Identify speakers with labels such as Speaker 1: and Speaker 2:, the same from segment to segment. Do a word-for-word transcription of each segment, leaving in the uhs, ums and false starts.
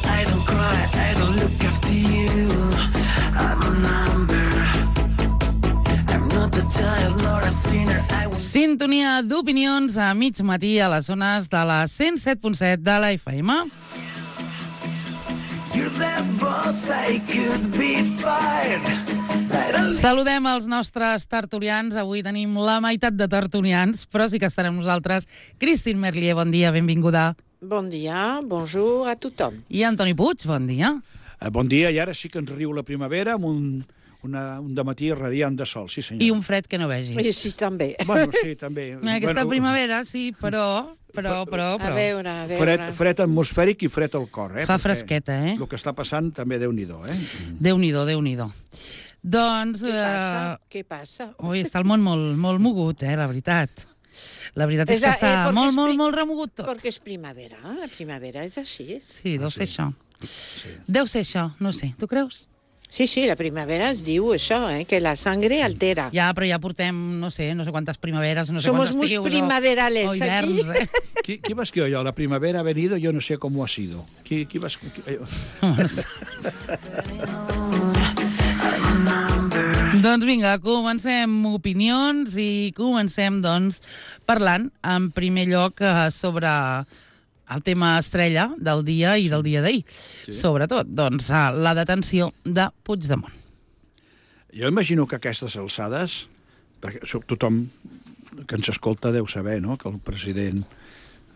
Speaker 1: I don't cry, I don't look after you. I'm a number. I'm not a child nor a sinner. I was...
Speaker 2: Sintonia d'opinions a mig matí a les zones de la cent set punt set de la F M.
Speaker 1: You're that boss, I could be fired.
Speaker 2: Saludem els nostres tertulians. Avui tenim la meitat de tertulians, però sí que estarem nosaltres. Christine Merlier, bon dia, benvinguda.
Speaker 3: Bon dia, bonjour a tothom.
Speaker 2: I Antoni Puig, bon dia.
Speaker 4: Eh, bon dia, i ara sí que ens riu la primavera amb un, una, un dematí radiant de sol, sí senyor.
Speaker 2: I un fred que no vegis.
Speaker 3: I sí, també.
Speaker 4: Bueno, sí, també.
Speaker 2: Aquesta
Speaker 4: bueno,
Speaker 2: primavera, sí, però... Però, però, però...
Speaker 3: A veure, a veure.
Speaker 4: Fred, fred atmosfèric i fred al cor, eh?
Speaker 2: Fa fresqueta, eh?
Speaker 4: El que està passant també Déu-n'hi-do, eh?
Speaker 2: Déu-n'hi-do, Déu-n'hi-do. Doncs...
Speaker 3: Què passa?
Speaker 2: Uh...
Speaker 3: Què passa?
Speaker 2: Ui, està el món molt, molt mogut, eh, la veritat. La veritat és que està eh, molt, molt, molt remogut tot.
Speaker 3: Perquè és primavera, la primavera és així.
Speaker 2: Sí, deu
Speaker 4: Ah,
Speaker 2: ser
Speaker 4: sí.
Speaker 2: això.
Speaker 4: Sí.
Speaker 2: Deu ser això, no sé. Tu creus?
Speaker 3: Sí, sí, la primavera es diu això, eh, que la sangre altera.
Speaker 2: Ja, però ja portem, no sé, no sé quantes primaveres, no sé
Speaker 3: Somos
Speaker 2: quantes
Speaker 3: muy
Speaker 2: estius,
Speaker 3: primaverales
Speaker 2: o hiverns,
Speaker 3: aquí.
Speaker 2: eh?
Speaker 4: Qui, qui va escriure allò? La primavera ha venido, yo no sé cómo ha sido. Qui, qui va escriure?
Speaker 2: Doncs vinga, comencem opinions i comencem, doncs, parlant, en primer lloc, eh, sobre el tema estrella del dia i del dia d'ahir.
Speaker 4: Sí.
Speaker 2: Sobretot, doncs, eh, la detenció de Puigdemont.
Speaker 4: Jo imagino que a aquestes alçades, perquè so- tothom que ens escolta deu saber, no?, que el president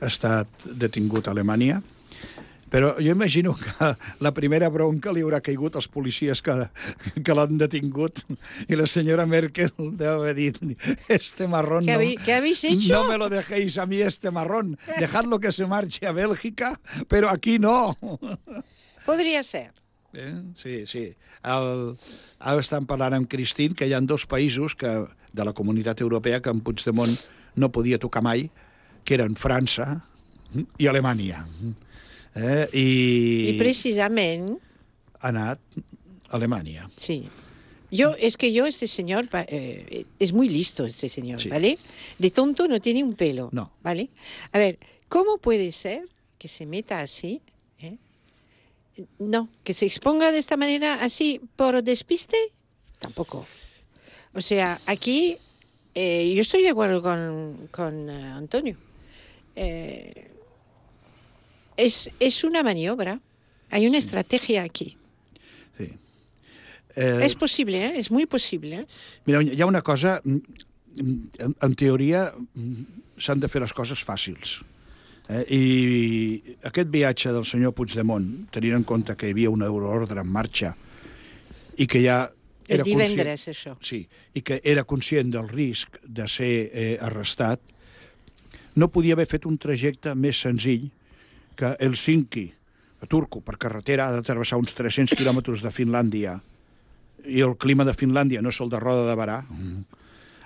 Speaker 4: ha estat detingut a Alemanya, però jo imagino que la primera bronca li haurà caigut als policies que, que l'han detingut i la senyora Merkel deu haver dit este marrón
Speaker 3: ¿Qué
Speaker 4: no,
Speaker 3: habéis- qué habéis hecho?
Speaker 4: no me lo dejéis a mí este marrón, dejadlo que se marche a Bélgica, pero aquí no.
Speaker 3: Podria ser.
Speaker 4: Eh? Sí, sí. El, ara estan parlant amb Christine que hi ha dos països que, de la comunitat europea que en Puigdemont no podia tocar mai, que eren França i Alemanya. Eh? I,
Speaker 3: I precisament,
Speaker 4: ha anat a Alemanya.
Speaker 3: sí. Yo, es que yo, este señor, pa- eh, es muy listo este señor,
Speaker 4: Sí.
Speaker 3: ¿vale? De tonto no tiene un pelo,
Speaker 4: No.
Speaker 3: ¿vale? A ver, ¿cómo puede ser que se meta así? ¿eh? No, que se exponga de esta manera así por despiste, tampoco. O sea, aquí eh, yo estoy de acuerdo con, con eh, Antonio. Eh, es, es una maniobra, hay una estrategia aquí.
Speaker 4: Sí. Eh,
Speaker 3: Es posible, ¿eh? Es muy posible. ¿eh?
Speaker 4: Mira, hi ha una cosa... En, en teoria, s'han de fer les coses fàcils. Eh? I aquest viatge del senyor Puigdemont, tenint en compte que hi havia una euroordre en marxa i que ja...
Speaker 3: El
Speaker 4: Era conscient,
Speaker 3: divendres, això.
Speaker 4: sí, i que era conscient del risc de ser eh, arrestat, no podia haver fet un trajecte més senzill que Helsinki, a Turku, per carretera, ha de travessar uns tres-cents quilòmetres de Finlàndia, i el clima de Finlàndia no és el de Roda de Barà,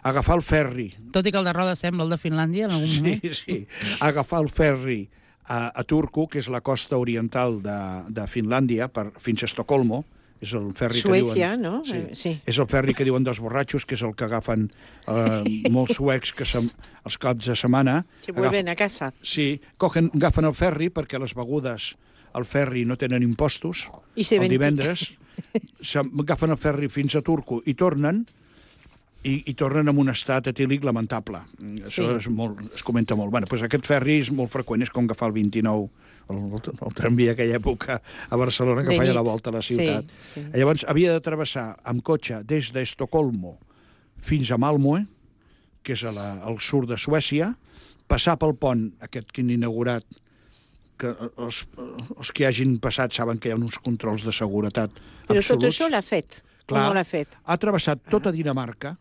Speaker 4: agafar el ferri...
Speaker 2: Tot i que el de Roda sembla el de Finlàndia en algun moment.
Speaker 4: Sí, sí, agafar el ferri a, a Turku, que és la costa oriental de, de Finlàndia, per, fins a Estocolmo, és el ferri
Speaker 3: Suècia,
Speaker 4: que diuen...
Speaker 3: no?
Speaker 4: Sí,
Speaker 3: Eh, sí.
Speaker 4: és el ferri que diuen dels borratxos, que és el que agafen eh, molts suecs que se, els caps de setmana.
Speaker 3: Se vuelven a casa.
Speaker 4: Sí, cogen, agafen el ferri perquè les begudes al ferri no tenen impostos.
Speaker 3: I se
Speaker 4: el
Speaker 3: venti-
Speaker 4: divendres agafen el ferri fins a Turku i tornen i, i tornen amb un estat etílic lamentable. Això
Speaker 3: Sí.
Speaker 4: és molt, es comenta molt. Bueno, doncs aquest ferri és molt freqüent, és com agafar el vint-i-nou, el, el, el tramvia aquella època a Barcelona que
Speaker 3: De
Speaker 4: feia
Speaker 3: nit.
Speaker 4: la volta a la ciutat.
Speaker 3: Sí, sí.
Speaker 4: Llavors havia de travessar amb cotxe des d'Estocolmo fins a Malmö, que és a la, al sud de Suècia, passar pel pont aquest que han inaugurat, que els, els que hagin passat saben que hi ha uns controls de seguretat
Speaker 3: Però tot
Speaker 4: absoluts.
Speaker 3: això l'ha fet.
Speaker 4: Clar,
Speaker 3: Com l'ha fet?
Speaker 4: ha travessat tota Dinamarca,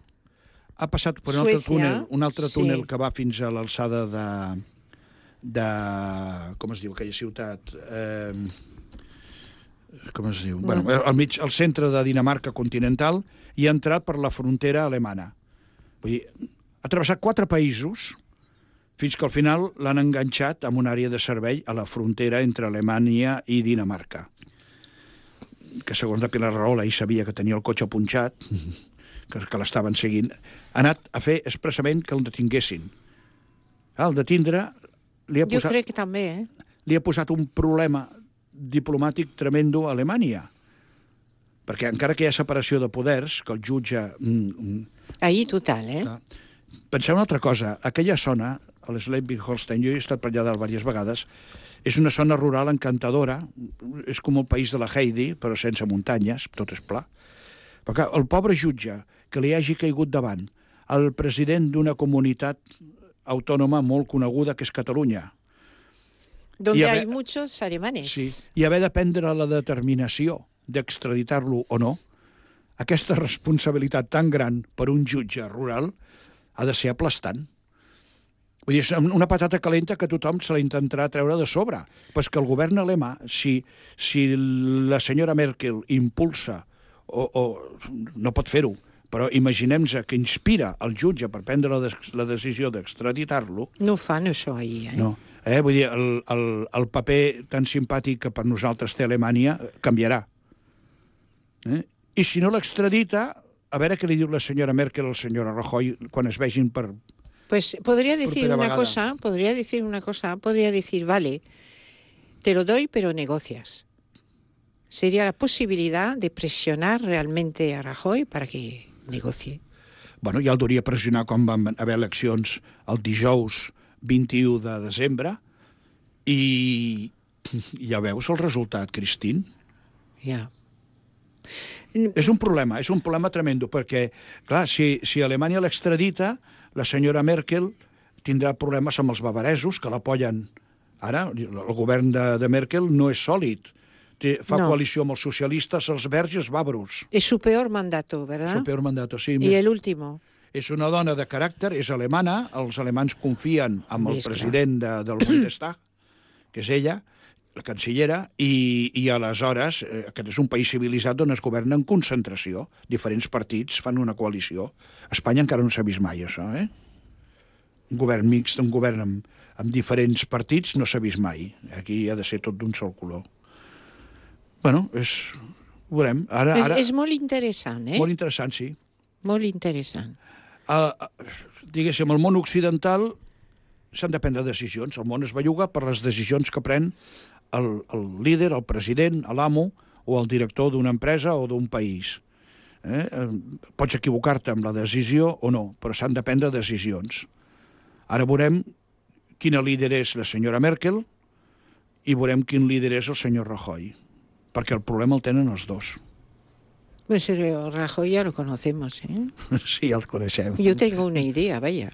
Speaker 4: ha passat per un altre
Speaker 3: Suècia,
Speaker 4: túnel, un altre
Speaker 3: sí.
Speaker 4: túnel que va fins a l'alçada de, de... com es diu aquella ciutat? Eh, com es diu? Bueno, al mig, al centre de Dinamarca continental, i ha entrat per la frontera alemana. Vull dir, ha travessat quatre països fins que al final l'han enganxat amb una àrea de servei a la frontera entre Alemanya i Dinamarca. Que segons la Pilar Rahola ell sabia que tenia el cotxe punxat, que, que l'estaven seguint, ha anat a fer expressament que el detinguessin. Al detindre li ha
Speaker 3: Jo
Speaker 4: posat,
Speaker 3: crec que també, eh?
Speaker 4: li ha posat un problema diplomàtic tremendo a Alemanya. Perquè encara que hi ha separació de poders, que el jutge...
Speaker 3: Ahí total, eh?
Speaker 4: Penseu una altra cosa. Aquella zona, a l'Slesvig-Holstein, jo he estat per allà dalt diverses vegades, és una zona rural encantadora, és com el país de la Heidi, però sense muntanyes, tot és pla. Però clar, el pobre jutge que li hagi caigut davant, el president d'una comunitat autònoma molt coneguda, que és Catalunya.
Speaker 3: Donde haver, hay muchos alemanes.
Speaker 4: Sí, i haver de prendre la determinació d'extraditar-lo o no, aquesta responsabilitat tan gran per un jutge rural ha de ser aplastant. Vull dir, és una patata calenta que tothom se la intentarà treure de sobre. Però és que el govern alemà, si, si la senyora Merkel impulsa, o, o no pot fer-ho, però imaginem-nos que inspira el jutge per prendre la, de, la decisió d'extraditar-lo...
Speaker 3: No fan això ahir, eh?
Speaker 4: No. Eh? Vull dir, el, el, el paper tan simpàtic que per nosaltres té Alemanya canviarà. Eh? I si no l'extradita, a veure què li diu la senyora Merkel al senyor Rajoy quan es vegin per...
Speaker 3: Pues podría decir una cosa, podría decir una cosa, podría decir, vale, te lo doy, pero negocias. Sería la posibilidad de presionar realmente a Rajoy para que negocie.
Speaker 4: Bueno, ja el duria pressionar quan van haver eleccions el dijous vint-i-u de desembre i ja veus el resultat, Christine.
Speaker 3: Ja.
Speaker 4: És un problema, és un problema tremendo, perquè, clar, si, si Alemanya l'extradita, la senyora Merkel tindrà problemes amb els bavaresos, que l'apoyen. Ara, el govern de, de Merkel no és sòlid. Té, fa no. coalició amb els socialistes, els verds i els bàvaros.
Speaker 3: És su peor mandato, ¿verdad?
Speaker 4: Su peor mandato, sí.
Speaker 3: I el último.
Speaker 4: És una dona de caràcter, és alemana, els alemans confien en el president de, del Bundestag, que és ella, la cancellera, i, i aleshores eh, aquest és un país civilitzat on es governa en concentració. Diferents partits fan una coalició. A Espanya encara no s'ha vist mai, això, eh? Un govern mixt, un govern amb, amb diferents partits no s'ha vist mai. Aquí ha de ser tot d'un sol color. Bueno, és... Ho veurem. Ara, ara...
Speaker 3: És, és molt interessant, eh?
Speaker 4: Molt interessant, sí.
Speaker 3: Molt interessant.
Speaker 4: Uh, diguéssim, el món occidental s'han de prendre decisions. El món es belluga per les decisions que pren el, el líder, el president, l'amo o el director d'una empresa o d'un país. Eh? Pots equivocar-te amb la decisió o no, però s'han de prendre decisions. Ara veurem quina líder és la senyora Merkel i veurem quin líder és el senyor Rajoy, perquè el problema el tenen els dos.
Speaker 3: Pues el Rajoy ya lo conocemos, ¿eh?
Speaker 4: Sí, ya lo conocemos.
Speaker 3: Yo tengo una idea, vaya.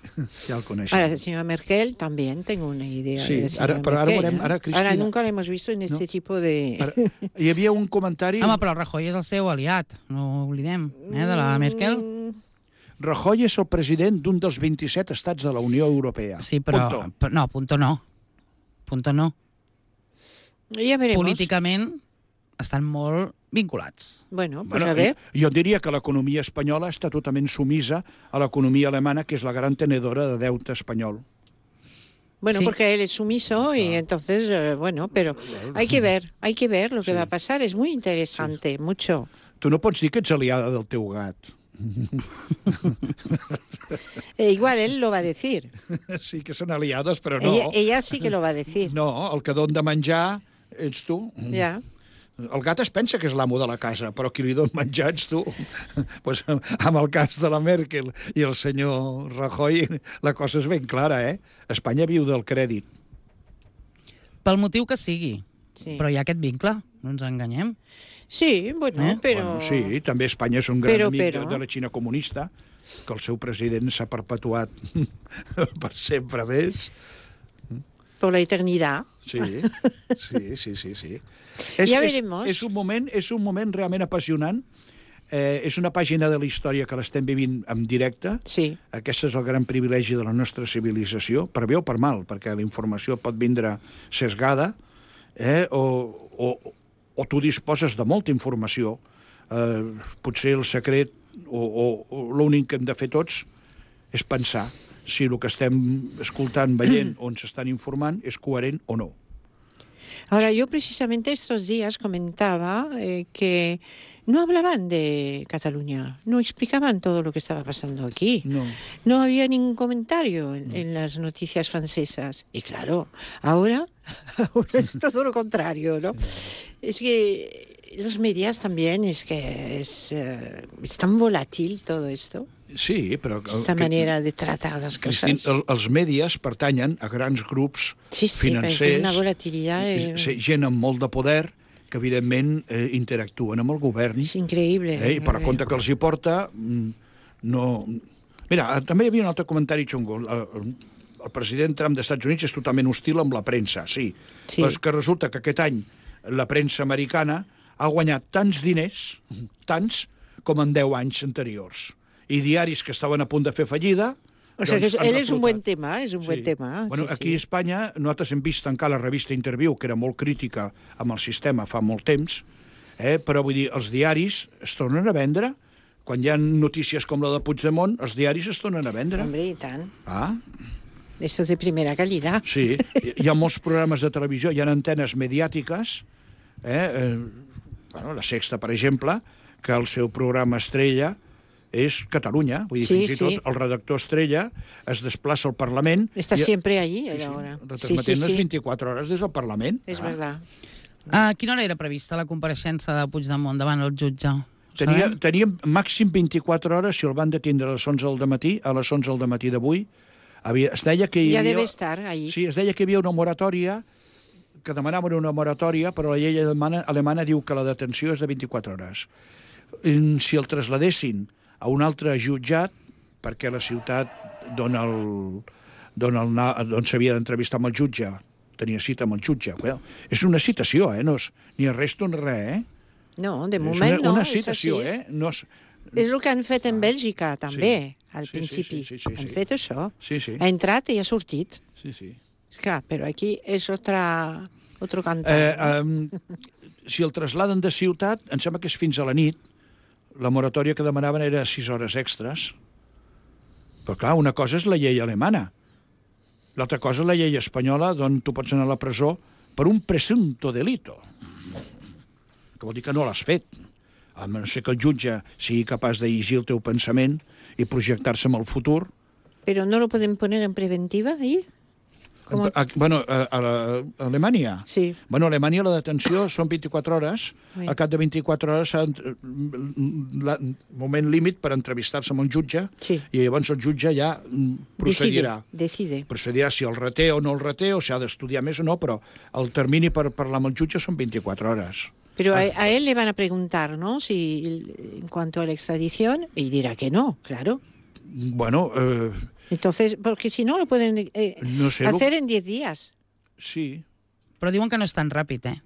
Speaker 4: Ya lo conocemos.
Speaker 3: Ahora, la señora Merkel también tengo una idea.
Speaker 4: Sí,
Speaker 3: de
Speaker 4: ara, però ara
Speaker 3: Merkel,
Speaker 4: veurem... Ara, Cristina...
Speaker 3: Ara nunca l'hemos visto en este no? tipo de...
Speaker 4: Ara, hi havia un comentari...
Speaker 2: Home, però el Rajoy és el seu aliat, no ho oblidem, eh, de la Merkel.
Speaker 4: Rajoy és el president d'un dels vint-i-set estats de la Unió Europea.
Speaker 2: Sí, però...
Speaker 4: Punto.
Speaker 2: però no, punto no. Punto no.
Speaker 3: Ja veremos.
Speaker 2: Políticament estan molt vinculats.
Speaker 3: Bueno, pues
Speaker 4: bueno,
Speaker 3: a ver.
Speaker 4: Jo diria que l'economia espanyola està totalment sumisa a l'economia alemana, que és la gran tenedora de deute espanyol.
Speaker 3: Bueno,
Speaker 2: sí.
Speaker 3: porque él es sumiso y ah. entonces, eh, bueno, pero hay que ver, hay que ver lo que sí. va a pasar. Es muy interesante, sí. mucho.
Speaker 4: Tu no pots dir que ets aliada del teu gat.
Speaker 3: eh, igual él lo va a decir.
Speaker 4: Sí que són aliades, però no.
Speaker 3: Ella, ella sí que lo va a decir.
Speaker 4: No, el que don de menjar ets tu.
Speaker 3: Ja.
Speaker 4: El gat es pensa que és l'amo de la casa, però qui li dona menjar ets tu. Pues, amb el cas de la Merkel i el senyor Rajoy, la cosa és ben clara, eh? Espanya viu del crèdit.
Speaker 2: Pel motiu que sigui.
Speaker 3: Sí.
Speaker 2: Però hi ha aquest vincle, no ens enganyem.
Speaker 3: Sí, bueno, eh? però...
Speaker 4: Bueno, sí, també Espanya és un gran
Speaker 3: però,
Speaker 4: amic
Speaker 3: però...
Speaker 4: de la Xina comunista, que el seu president s'ha perpetuat per sempre més.
Speaker 3: Por la eternidad.
Speaker 4: Sí, sí, sí, sí, sí. És,
Speaker 3: ja
Speaker 4: és,
Speaker 3: veremos.
Speaker 4: És un moment, és un moment realment apassionant. Eh, és una pàgina de la història que l'estem vivint en directe.
Speaker 3: Sí.
Speaker 4: Aquest és el gran privilegi de la nostra civilització, per bé o per mal, perquè la informació pot vindre sesgada, eh, o, o, o tu disposes de molta informació. Eh, potser el secret, o, o, o l'únic que hem de fer tots, és pensar si el que estem escoltant, veient, on s'estan informant, és coherent o no.
Speaker 3: Ahora, yo precisamente estos días comentaba eh, que no hablaban de Cataluña, no explicaban todo lo que estaba pasando aquí.
Speaker 4: No.
Speaker 3: No había ningún comentario en, en las noticias francesas. Y claro, ahora, ahora es todo lo contrario, ¿no? Sí. Es que los medios también, es que es, uh, es tan volátil todo esto.
Speaker 4: Sí, però...
Speaker 3: Esta
Speaker 4: que,
Speaker 3: manera de tratar les coses.
Speaker 4: Cristín, el, els mèdies pertanyen a grans grups
Speaker 3: sí, sí,
Speaker 4: financers,
Speaker 3: una volatilitat...
Speaker 4: Eh... gent amb molt de poder, que evidentment eh, interactuen amb el govern.
Speaker 3: És increïble.
Speaker 4: Eh, I per a compte que els hi porta, no... Mira, també hi havia un altre comentari xungo. El, el president Trump dels Estats Units és totalment hostil amb la premsa, sí. sí. Però és que resulta que aquest any la premsa americana ha guanyat tants diners, tants, com en deu anys anteriors. I diaris que estaven a punt de fer fallida...
Speaker 3: O sigui, doncs, ell és un bon tema, és un sí. bon tema.
Speaker 4: Bueno,
Speaker 3: sí,
Speaker 4: aquí
Speaker 3: sí.
Speaker 4: a Espanya nosaltres hem vist tancar la revista Interviu, que era molt crítica amb el sistema fa molt temps, eh? Però vull dir, els diaris es tornen a vendre. Quan hi ha notícies com la de Puigdemont, els diaris es tornen a vendre.
Speaker 3: Hombre, i tant.
Speaker 4: Ah.
Speaker 3: Esto es de primera calidad.
Speaker 4: Sí, hi ha molts programes de televisió, hi ha antenes mediàtiques, eh? eh bueno, la Sexta, per exemple, que el seu programa estrella és Catalunya, vull dir,
Speaker 3: sí,
Speaker 4: fins i
Speaker 3: sí.
Speaker 4: tot el redactor estrella es desplaça al Parlament...
Speaker 3: Està
Speaker 4: i...
Speaker 3: sempre allí, a
Speaker 4: sí,
Speaker 3: l'hora.
Speaker 4: Sí, retransmetent sí, sí, sí. vint-i-quatre hores des del Parlament.
Speaker 3: És ah. verdad.
Speaker 2: A quina hora era prevista la compareixença de Puigdemont davant el jutge?
Speaker 4: Tenia, teníem màxim vint-i-quatre hores, si el van detindre a les onze del matí, a les onze del matí d'avui. Havia, es deia que hi
Speaker 3: havia... Ja deve estar allí.
Speaker 4: Sí, es deia que hi havia una moratòria, que demanaven una moratòria, però la llei alemana, alemana diu que la detenció és de vint-i-quatre hores. Si el trasladessin a un altre jutjat, perquè la ciutat d'on s'havia d'entrevistar amb el jutge, tenia cita amb el jutge. Well, és una citació, eh? No és ni arresto ni res, eh?
Speaker 3: No, de moment
Speaker 4: és una,
Speaker 3: no.
Speaker 4: Una citació, és eh? No és...
Speaker 3: és el que han fet en Bèlgica, també,
Speaker 4: sí.
Speaker 3: al
Speaker 4: sí,
Speaker 3: principi.
Speaker 4: Sí, sí, sí, sí,
Speaker 3: han
Speaker 4: sí.
Speaker 3: fet això.
Speaker 4: Sí, sí.
Speaker 3: Ha entrat i ha sortit.
Speaker 4: Sí, sí.
Speaker 3: Esclar, però aquí és otra, otro cantar.
Speaker 4: Eh, um, si el trasladen de ciutat, em sembla que és fins a la nit. La moratòria que demanaven era sis hores extres. Però, clar, una cosa és la llei alemana. L'altra cosa és la llei espanyola, d'on tu pots anar a la presó per un presumpto delito. Que vol dir que no l'has fet. A no ser que el jutge sigui capaç de llegir el teu pensament i projectar-se en el futur.
Speaker 3: Però no lo podem poner en preventiva, ahí?
Speaker 4: Com... A, bueno, a, a, a Alemanya?
Speaker 3: Sí.
Speaker 4: Bueno, a Alemanya la detenció són vint-i-quatre hores. Oui. Al cap de vint-i-quatre hores s'ha el moment límit per entrevistar-se amb un jutge sí. I llavors el jutge ja procedirà.
Speaker 3: Decide, decide.
Speaker 4: Procedirà si el reté o no el reté, o si ha d'estudiar més o no, però el termini per parlar amb el jutge són vint-i-quatre hores.
Speaker 3: Pero a, a él le van a preguntar, ¿no? Si en cuanto a la extradición, y dirá que no, claro.
Speaker 4: Bueno... Eh...
Speaker 3: Entonces, porque si no lo pueden eh,
Speaker 4: no sé,
Speaker 3: hacer
Speaker 4: lo...
Speaker 3: en diez días.
Speaker 4: Sí.
Speaker 2: Però diuen que no és tan ràpid, eh?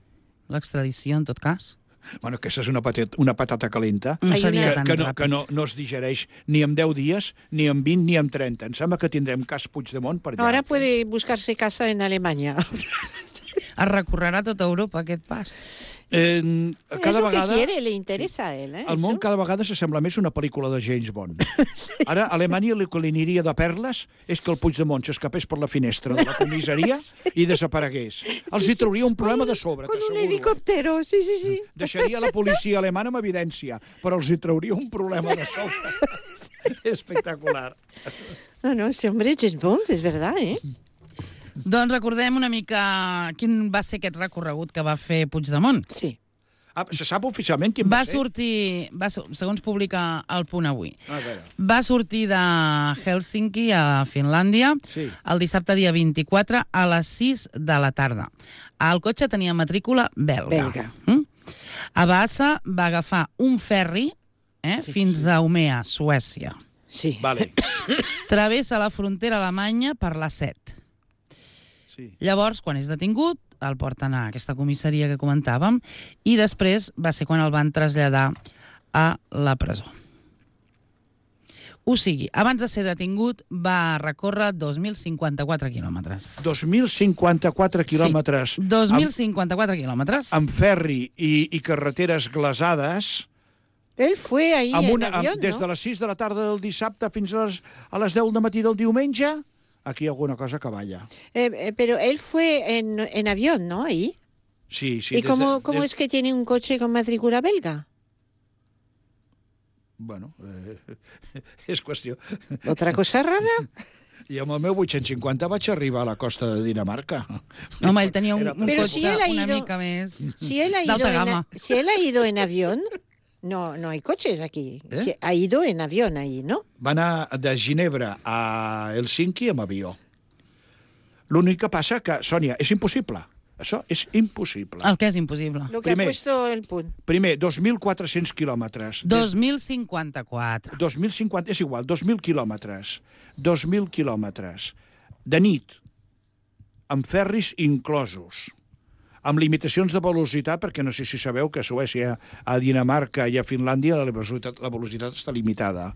Speaker 2: L'extradició, en tot cas.
Speaker 4: Bueno, que això és una patata, una patata calenta.
Speaker 2: No seria
Speaker 4: que,
Speaker 2: tan
Speaker 4: que, no,
Speaker 2: ràpid.
Speaker 4: que no, no es digereix ni en deu dies, ni en vint, ni en trenta. Em sembla que tindrem cas Puigdemont per allà.
Speaker 3: Ahora puede buscarse casa en Alemanya.
Speaker 2: Es recorrerà tota Europa, aquest pas.
Speaker 4: Eh, cada
Speaker 3: és el
Speaker 4: vegada,
Speaker 3: que quiere, le interesa a él. Eh,
Speaker 4: el món
Speaker 3: eso?
Speaker 4: cada vegada s'assembla més a una pel·lícula de James Bond. Sí. Ara, a Alemanya el que li aniria de perles és que el Puigdemont s'escapés per la finestra de la comissaria i desaparegués. Els
Speaker 3: sí,
Speaker 4: hi trauria un problema
Speaker 3: con,
Speaker 4: de sobre,
Speaker 3: con un
Speaker 4: t'asseguro.
Speaker 3: helicòptero, sí, sí, sí.
Speaker 4: Deixaria la policia alemana amb evidència, però els hi trauria un problema de sobre. Espectacular.
Speaker 3: No, no, este hombre James Bond, és verdad, eh?
Speaker 2: Doncs recordem una mica quin va ser aquest recorregut que va fer Puigdemont.
Speaker 3: Sí.
Speaker 4: Ah, se sap oficialment quin va,
Speaker 2: va
Speaker 4: ser?
Speaker 2: sortir, va, segons publica El Punt Avui,
Speaker 4: ah,
Speaker 2: va sortir de Helsinki a Finlàndia
Speaker 4: sí.
Speaker 2: el dissabte dia vint-i-quatre a les sis de la tarda. El cotxe tenia matrícula belga.
Speaker 3: Belga.
Speaker 2: Mm? A Bassa va agafar un ferri eh, sí, fins sí. a Umea, Suècia.
Speaker 3: Sí.
Speaker 4: Vale.
Speaker 2: Travessa la frontera alemanya per la set.
Speaker 4: Sí.
Speaker 2: Llavors, quan és detingut, el porten a aquesta comissaria que comentàvem i després va ser quan el van traslladar a la presó. O sigui, abans de ser detingut va recórrer dos mil cinquanta-quatre quilòmetres.
Speaker 4: dos mil cinquanta-quatre quilòmetres.
Speaker 2: Sí, dos mil cinquanta-quatre quilòmetres.
Speaker 4: Amb ferri i, i carreteres glaçades.
Speaker 3: Él fue ahí
Speaker 4: amb
Speaker 3: en
Speaker 4: una,
Speaker 3: avión,
Speaker 4: amb, des
Speaker 3: ¿no?
Speaker 4: de les sis de la tarda del dissabte fins a les, a les deu del matí del diumenge. Aquí hi ha alguna cosa que balla.
Speaker 3: Eh, eh, pero él fue en, en avión, ¿no? Ahí.
Speaker 4: Sí, sí.
Speaker 3: ¿Y
Speaker 4: des
Speaker 3: cómo,
Speaker 4: de,
Speaker 3: cómo
Speaker 4: des...
Speaker 3: es que tiene un coche con matrícula belga?
Speaker 4: Bueno, eh, és qüestió.
Speaker 3: ¿Otra cosa rara?
Speaker 4: I amb el meu vuit-cents cinquanta vaig arribar a la costa de Dinamarca.
Speaker 2: Home, ell tenia un,
Speaker 4: Era
Speaker 2: un
Speaker 3: Però
Speaker 2: cotxe
Speaker 3: si él ha
Speaker 2: una
Speaker 3: ido-
Speaker 2: mica més
Speaker 3: Si él ha ido,
Speaker 2: d'alta
Speaker 3: en,
Speaker 2: gamma.
Speaker 3: si él ha ido en avión, no, no hay coches aquí.
Speaker 4: ¿Eh?
Speaker 3: Si ha ido en avión ahí, ¿no?
Speaker 4: Va anar de Ginebra a Helsinki amb avió. L'únic que passa que, Sònia, és impossible. Això és impossible.
Speaker 2: El que és impossible.
Speaker 3: Lo que
Speaker 4: Primer.
Speaker 3: ha puesto el punt.
Speaker 4: Primer, dos mil quatre-cents quilòmetres.
Speaker 2: dos mil cinquanta-quatre.
Speaker 4: dos mil cinquanta, és igual, dos mil quilòmetres. dos mil quilòmetres. De nit, amb ferris inclosos, amb limitacions de velocitat, perquè no sé si sabeu que a Suècia, a Dinamarca i a Finlàndia la velocitat, la velocitat està limitada.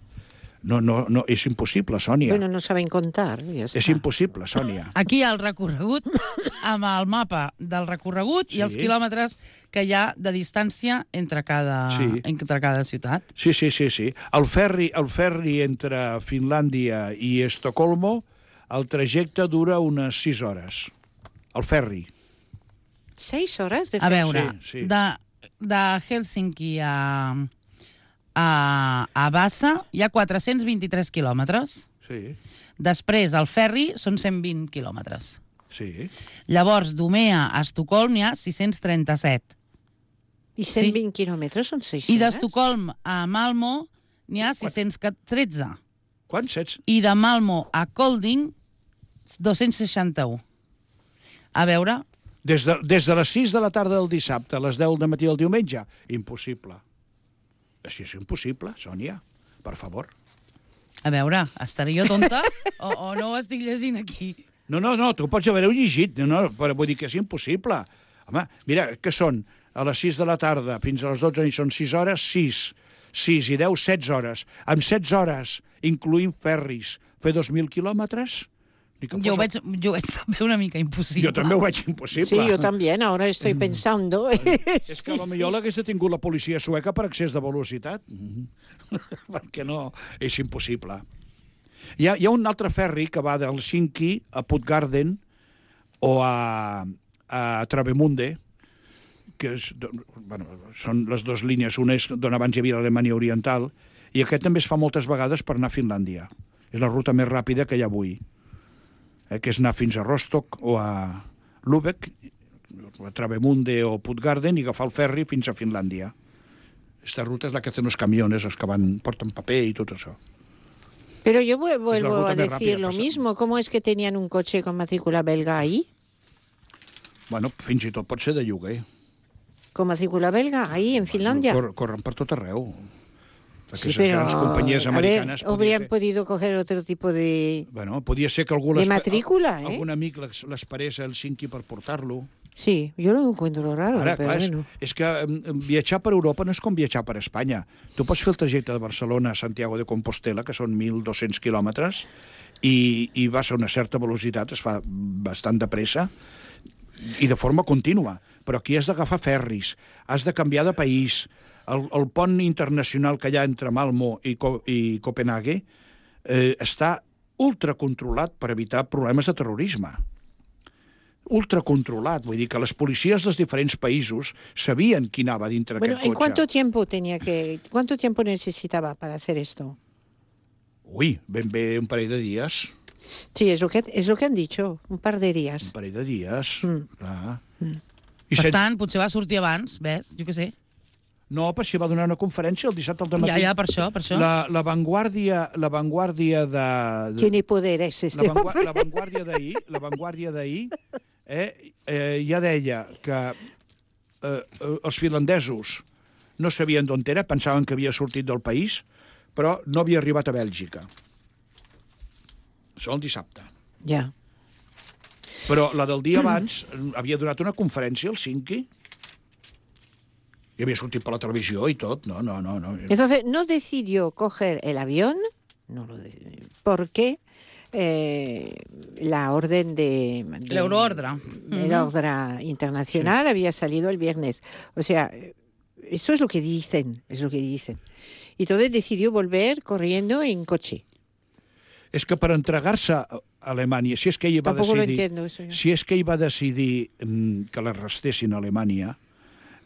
Speaker 4: No, no, no, és impossible, Sònia.
Speaker 3: Bueno, no saben contar. Ya está.
Speaker 4: És impossible, Sònia.
Speaker 2: Aquí hi ha el recorregut, amb el mapa del recorregut
Speaker 4: Sí.
Speaker 2: i els quilòmetres que hi ha de distància entre cada,
Speaker 4: Sí.
Speaker 2: entre cada ciutat.
Speaker 4: Sí, sí, sí, sí. El ferri, el ferri entre Finlàndia i Estocolmo, el trajecte dura unes sis hores. El ferri.
Speaker 3: Seis horas de
Speaker 2: A veure,
Speaker 4: Sí, sí.
Speaker 2: de, de Helsinki a, a, a Vasa hi ha quatre-cents vint-i-tres quilòmetres.
Speaker 4: Sí,
Speaker 2: Després, el ferri són cent vint quilòmetres.
Speaker 4: sí.
Speaker 2: Llavors, d'Umea a Estocolm hi ha sis-cents trenta-set.
Speaker 3: Y cent vint kilómetros son seis
Speaker 2: I
Speaker 3: horas.
Speaker 2: d'Estocolm a Malmo n'hi ha sis-cents tretze.
Speaker 4: Quants? Sets?
Speaker 2: I de Malmo a Kolding, dos-cents seixanta-u. A veure,
Speaker 4: Des de, des de les sis de la tarda del dissabte a les deu del matí del diumenge? Impossible. Així és impossible, Sònia. Per favor.
Speaker 2: a veure, estaré jo tonta o, o no ho estic llegint aquí?
Speaker 4: No, no, no, tu pots haver-ho llegit, no, no, però vull dir que és impossible. Home, mira, que són a les sis de la tarda fins a les dotze i són sis hores, sis. sis i deu, setze hores. Amb setze hores, incloent ferris, fer dos mil quilòmetres? Ni que
Speaker 2: Jo ho,
Speaker 4: fos-
Speaker 2: veig, jo ho veig també una mica impossible.
Speaker 4: Jo també ho veig impossible.
Speaker 3: Sí, yo también. Ahora estoy pensando.
Speaker 4: És que potser l'hagués detingut la policia sueca per excés de velocitat. Perquè no, és impossible. Hi ha, hi ha un altre ferri que va d'Helsinki a Puttgarden o a, a Travemünde, que és, bueno, són les dues línies. Una és d'on abans hi havia l'Alemanya Oriental, i aquest també es fa moltes vegades per anar a Finlàndia. És la ruta més ràpida que hi ha avui, eh, que és anar fins a Rostock o a Lübeck, a Travemünde o Puttgarden, i agafar el ferri fins a Finlàndia. Esta ruta és la que hacen los camiones, els que van, porten paper i tot això.
Speaker 3: Pero yo vu- vuelvo
Speaker 4: ruta
Speaker 3: a
Speaker 4: más
Speaker 3: decir
Speaker 4: rápida,
Speaker 3: lo
Speaker 4: pasa.
Speaker 3: mismo. ¿Cómo es que tenían un coche con matrícula belga ahí?
Speaker 4: Bueno, fins i tot pot ser de lloguer.
Speaker 3: ¿Con matrícula belga ahí en Finlandia?
Speaker 4: Cor, corren per tot arreu.
Speaker 3: Sí,
Speaker 4: Aquestes
Speaker 3: pero
Speaker 4: grans companyies
Speaker 3: a ver,
Speaker 4: americanes... podia
Speaker 3: habrían
Speaker 4: ser-
Speaker 3: podido coger otro tipo de...
Speaker 4: Bueno, podia ser que algú
Speaker 3: De
Speaker 4: les-
Speaker 3: matrícula, eh?
Speaker 4: algun amic les- l'esperés a Helsinki per portar-lo.
Speaker 3: Sí, yo lo encuentro raro,
Speaker 4: Ara,
Speaker 3: pero
Speaker 4: clar, és,
Speaker 3: bueno.
Speaker 4: és que em, viatjar per Europa no és com viatjar per Espanya. Tu pots fer el trajecte de Barcelona a Santiago de Compostela, que són mil dos-cents quilòmetres, i, i vas a una certa velocitat, es fa bastant de pressa, i de forma contínua. Però aquí has d'agafar ferris, has de canviar de país. El, el pont internacional que hi ha entre Malmo i, Co i Copenhague eh, està ultracontrolat per evitar problemes de terrorisme. Ultracontrolat, vull dir que les policies dels diferents països sabien qui anava dintre
Speaker 3: Bueno,
Speaker 4: d'aquest
Speaker 3: ¿en cuánto
Speaker 4: cotxe.
Speaker 3: tiempo tenía que, cuánto tiempo necesitaba para hacer esto?
Speaker 4: Ui, ben bé un parell de dies.
Speaker 3: Sí, es lo que es lo que han dicho, un par de
Speaker 4: Un
Speaker 3: días.
Speaker 4: parell de dies,
Speaker 3: Mm.
Speaker 4: clar.
Speaker 3: Mm.
Speaker 4: I
Speaker 2: Per
Speaker 4: sen...
Speaker 2: tant, potser va sortir abans, ves? Jo què sé.
Speaker 4: No, però si va donar una conferència el dissabte al
Speaker 2: Ja,
Speaker 4: matí.
Speaker 2: ja, per això, per això.
Speaker 4: La, la vanguardia, la vanguardia de... de...
Speaker 3: Tiene poderes este
Speaker 4: la, vangua
Speaker 3: hombre.
Speaker 4: la vanguardia d'ahir, la vanguardia d'ahir, eh, eh, ja deia que eh, eh, els finlandesos no sabien d'on era, pensaven que havia sortit del país, però no havia arribat a Bèlgica. Això el dissabte.
Speaker 3: Ya.
Speaker 4: Però la del dia abans havia donat una conferència al Helsinki i havia sortit per la televisió i tot. No, no, no. no.
Speaker 3: Entonces, no decidió coger el avión, no lo de- porque eh, la orden de... de
Speaker 2: L'euroordre.
Speaker 3: El orden internacional había salido el viernes. O sea, esto es lo que dicen, es lo que dicen. Y entonces decidió volver corriendo en coche.
Speaker 4: És que per entregar-se a Alemanya, si és que ell va
Speaker 3: Tampoco lo
Speaker 4: decidir...
Speaker 3: entiendo eso yo.
Speaker 4: Si és que ell va decidir mm, que l'arrestessin a Alemanya,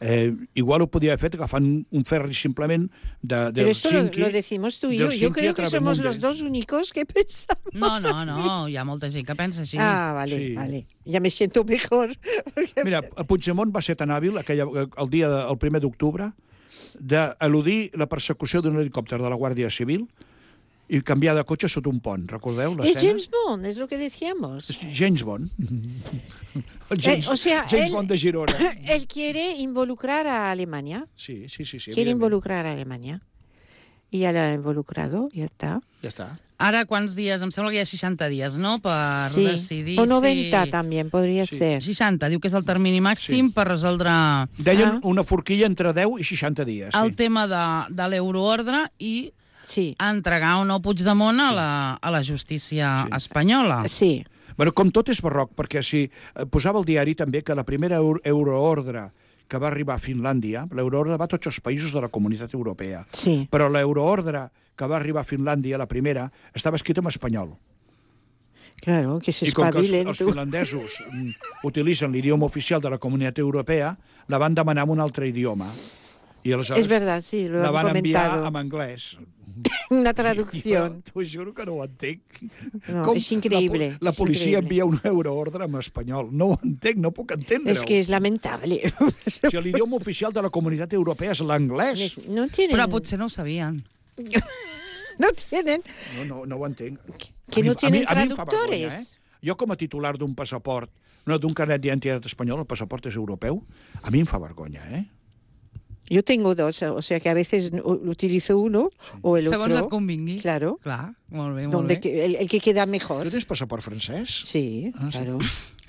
Speaker 4: eh, igual ho podia haver fet agafant un ferri simplement de, de
Speaker 3: Pero esto lo,
Speaker 4: Helsinki,
Speaker 3: lo decimos tú y yo. Yo
Speaker 4: d'Helsinki
Speaker 3: creo
Speaker 4: a
Speaker 3: que somos
Speaker 4: Travemünde.
Speaker 3: los dos únicos que pensamos
Speaker 2: No, no,
Speaker 3: así.
Speaker 2: no, hi ha molta gent que pensa així.
Speaker 3: Ah, vale,
Speaker 4: Sí.
Speaker 3: vale. Ya me siento mejor. Porque-
Speaker 4: Mira, Puigdemont va ser tan hàbil aquella, el dia de, el primer d'octubre d'eludir la persecució d'un helicòpter de la Guàrdia Civil i canviar de cotxe sota un pont. Recordeu
Speaker 3: Es
Speaker 4: l'escena?
Speaker 3: James Bond, es lo que decíamos.
Speaker 4: James Bond. El James,
Speaker 3: Eh, o sea,
Speaker 4: James
Speaker 3: él-
Speaker 4: Bond de Girona.
Speaker 3: Él quiere involucrar a Alemania.
Speaker 4: Sí, sí, sí. sí
Speaker 3: Quiere
Speaker 4: evidentment.
Speaker 3: involucrar a Alemania. Y ya la ha involucrado, ya está.
Speaker 4: Ja està.
Speaker 2: Ara, quants dies? Em sembla que hi ha seixanta dies, no?, per
Speaker 3: Sí.
Speaker 2: decidir
Speaker 3: O noventa
Speaker 2: si...
Speaker 3: también podría
Speaker 4: Sí.
Speaker 3: ser.
Speaker 2: seixanta, diu que és el termini màxim
Speaker 4: Sí.
Speaker 2: per resoldre
Speaker 4: Deien
Speaker 3: Ah.
Speaker 4: una forquilla entre deu i seixanta dies.
Speaker 2: el
Speaker 4: Sí.
Speaker 2: tema de, de l'euroordre i
Speaker 3: Sí.
Speaker 2: entregar o no Puigdemont a la, a la justícia
Speaker 4: Sí.
Speaker 2: espanyola.
Speaker 3: Sí.
Speaker 4: Bueno, com tot és barroc, perquè si eh, posava al diari també que la primera euro euroordre que va arribar a Finlàndia, l'euroordre va a tots els països de la Comunitat Europea,
Speaker 3: Sí.
Speaker 4: però l'euroordre que va arribar a Finlàndia, la primera, estava escrita en espanyol.
Speaker 3: Claro, que se
Speaker 4: I com que els,
Speaker 3: espabilen
Speaker 4: els
Speaker 3: tú.
Speaker 4: finlandesos mm, utilitzen l'idioma oficial de la Comunitat Europea, la van demanar en un altre idioma. I aleshores
Speaker 3: Es verdad, sí, lo
Speaker 4: la
Speaker 3: han
Speaker 4: van enviar
Speaker 3: comentado.
Speaker 4: en anglès.
Speaker 3: Una
Speaker 4: Jo
Speaker 3: traducción.
Speaker 4: t'ho juro que no ho entenc.
Speaker 3: No, és increïble,
Speaker 4: La, po- la
Speaker 3: és
Speaker 4: policia
Speaker 3: increïble.
Speaker 4: envia un euroordre en espanyol. No ho entenc, no puc entendre-ho.
Speaker 3: Es que es lamentable.
Speaker 4: Si l'idioma oficial de la Comunitat Europea és l'anglès.
Speaker 3: No tienen.
Speaker 2: Però potser no ho sabien.
Speaker 3: No tienen.
Speaker 4: No, no, no ho entenc.
Speaker 3: Que
Speaker 4: A mi-
Speaker 3: no
Speaker 4: a mi-
Speaker 3: tienen
Speaker 4: a mi em fa
Speaker 3: traductores.
Speaker 4: vergonya, eh? Jo, com a titular d'un passaport, no, d'un carnet d'identitat espanyol, el passaport és europeu, a mi em fa vergonya, eh?
Speaker 3: Yo tengo dos, o sea que a veces u- utilizo uno o el
Speaker 2: Segons et
Speaker 3: otro.
Speaker 2: convingui.
Speaker 3: Claro.
Speaker 2: Clar, molt bé, molt
Speaker 3: Donde
Speaker 2: bé.
Speaker 3: que- el, el que queda
Speaker 4: Tu
Speaker 3: mejor.
Speaker 4: tens passaport francès?
Speaker 3: Sí,
Speaker 4: Ah, sí.
Speaker 3: claro.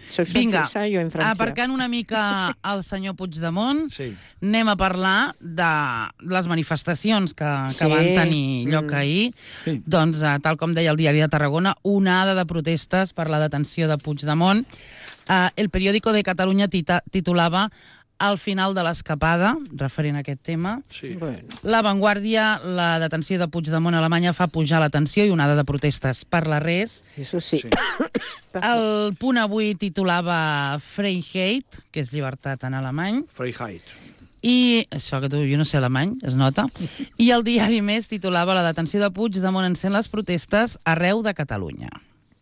Speaker 3: Soy
Speaker 2: Vinga,
Speaker 3: francesa, yo en Francia.
Speaker 2: aparcant una mica el senyor Puigdemont,
Speaker 4: Sí.
Speaker 2: anem a parlar de les manifestacions que, que
Speaker 3: Sí.
Speaker 2: van tenir lloc
Speaker 3: Mm.
Speaker 2: ahir.
Speaker 4: Sí.
Speaker 2: Doncs, eh, tal com deia el diari de Tarragona, onada de protestes per la detenció de Puigdemont. Eh, el periòdico de Catalunya tita titulava Al final de l'escapada, referent a aquest tema.
Speaker 4: Sí.
Speaker 3: Bueno,
Speaker 2: La Vanguardia, la detenció de Puigdemont a Alemanya fa pujar la tensió i onada de protestes per la res.
Speaker 3: eso sí.
Speaker 4: Sí.
Speaker 2: El Punt Avui titulava Freiheit, que és llibertat en alemany,
Speaker 4: Freiheit.
Speaker 2: i això que tu, jo no sé alemany, es nota, i el Diari Més titulava la detenció de Puigdemont encén les protestes arreu de Catalunya.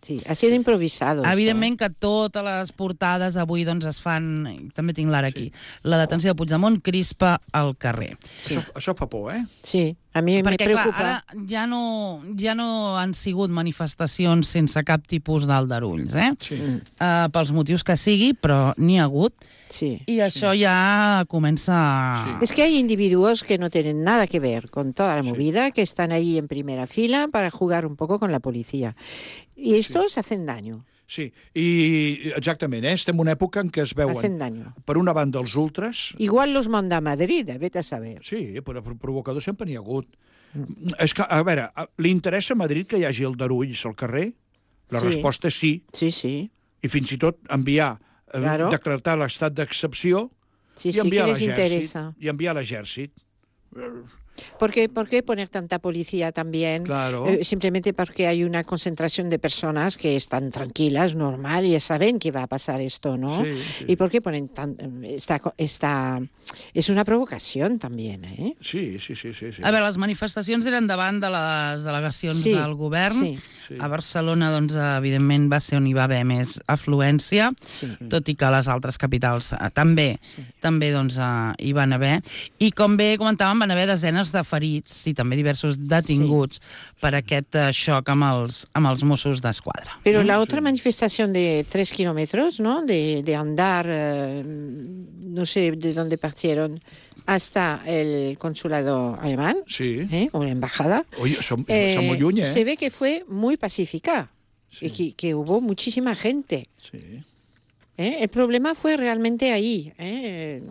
Speaker 3: Sí, ha sido improvisado. eso,
Speaker 2: Evidentment que totes les portades avui doncs, es fan, també tinc l'ara aquí, la detenció de Puigdemont crispa al carrer.
Speaker 3: Sí.
Speaker 4: Això, això fa por, eh?
Speaker 3: Sí, a mí me
Speaker 2: Perquè, clar,
Speaker 3: preocupa.
Speaker 2: ara ja no, ja no han sigut manifestacions sense cap tipus d'aldarulls, eh?
Speaker 4: Sí.
Speaker 2: Uh, pels motius que sigui, però n'hi ha hagut,
Speaker 3: Sí.
Speaker 2: i això ja comença...
Speaker 3: Es que hay individuos que no tienen nada que ver con toda la movida, que están ahí en primera fila para jugar un poco con la policía. Y estos hacen daño,
Speaker 4: Sí, i exactament, eh? Estem en una època en què es veuen,
Speaker 3: hacen daño.
Speaker 4: per una banda, els ultras.
Speaker 3: Igual los manda a Madrid, eh, vete a saber.
Speaker 4: Sí, però provocadors sempre n'hi ha hagut. Mm. És que, a veure, li interessa a Madrid que hi hagi aldarulls al carrer? La
Speaker 3: Sí.
Speaker 4: resposta és sí,
Speaker 3: Sí, sí.
Speaker 4: i fins i tot enviar, eh,
Speaker 3: Claro.
Speaker 4: decretar l'estat d'excepció
Speaker 3: Sí,
Speaker 4: i
Speaker 3: sí, que
Speaker 4: enviar
Speaker 3: les
Speaker 4: l'exèrcit.
Speaker 3: interesa.
Speaker 4: I enviar l'exèrcit.
Speaker 3: ¿Por qué, ¿Por qué poner tanta policía también?
Speaker 4: Claro.
Speaker 3: Eh, simplemente porque hay una concentración de personas que están tranquilas, normal, y ya saben que va a pasar esto, ¿no?
Speaker 4: Sí, sí.
Speaker 3: ¿Y por qué ponen tan, esta, esta... Es una provocación también, ¿eh?
Speaker 4: Sí, sí, sí, sí. sí.
Speaker 2: A veure, les manifestacions eren davant de les delegacions
Speaker 3: Sí,
Speaker 2: del govern.
Speaker 3: sí.
Speaker 4: Sí.
Speaker 2: A Barcelona, doncs, evidentment, va ser on hi va haver més afluència,
Speaker 3: Sí.
Speaker 2: tot i que a les altres capitals eh, també,
Speaker 3: Sí.
Speaker 2: també doncs, eh, hi van haver. I com bé comentàvem, van haver desenes de ferits i també diversos detinguts per aquest eh, xoc amb els, amb els Mossos d'Esquadra.
Speaker 3: Pero la otra manifestación de tres kilómetros, ¿no? De, de andar, eh, no sé de dónde partieron, hasta el consulado alemán,
Speaker 4: Sí.
Speaker 3: ¿eh? O la embajada.
Speaker 4: Oi, som,
Speaker 3: Eh,
Speaker 4: som molt lluny, eh?
Speaker 3: Se ve que fue muy pacífica y que, que hubo muchísima gente.
Speaker 4: Sí.
Speaker 3: ¿eh? El problema fue realmente ahí. ¿eh?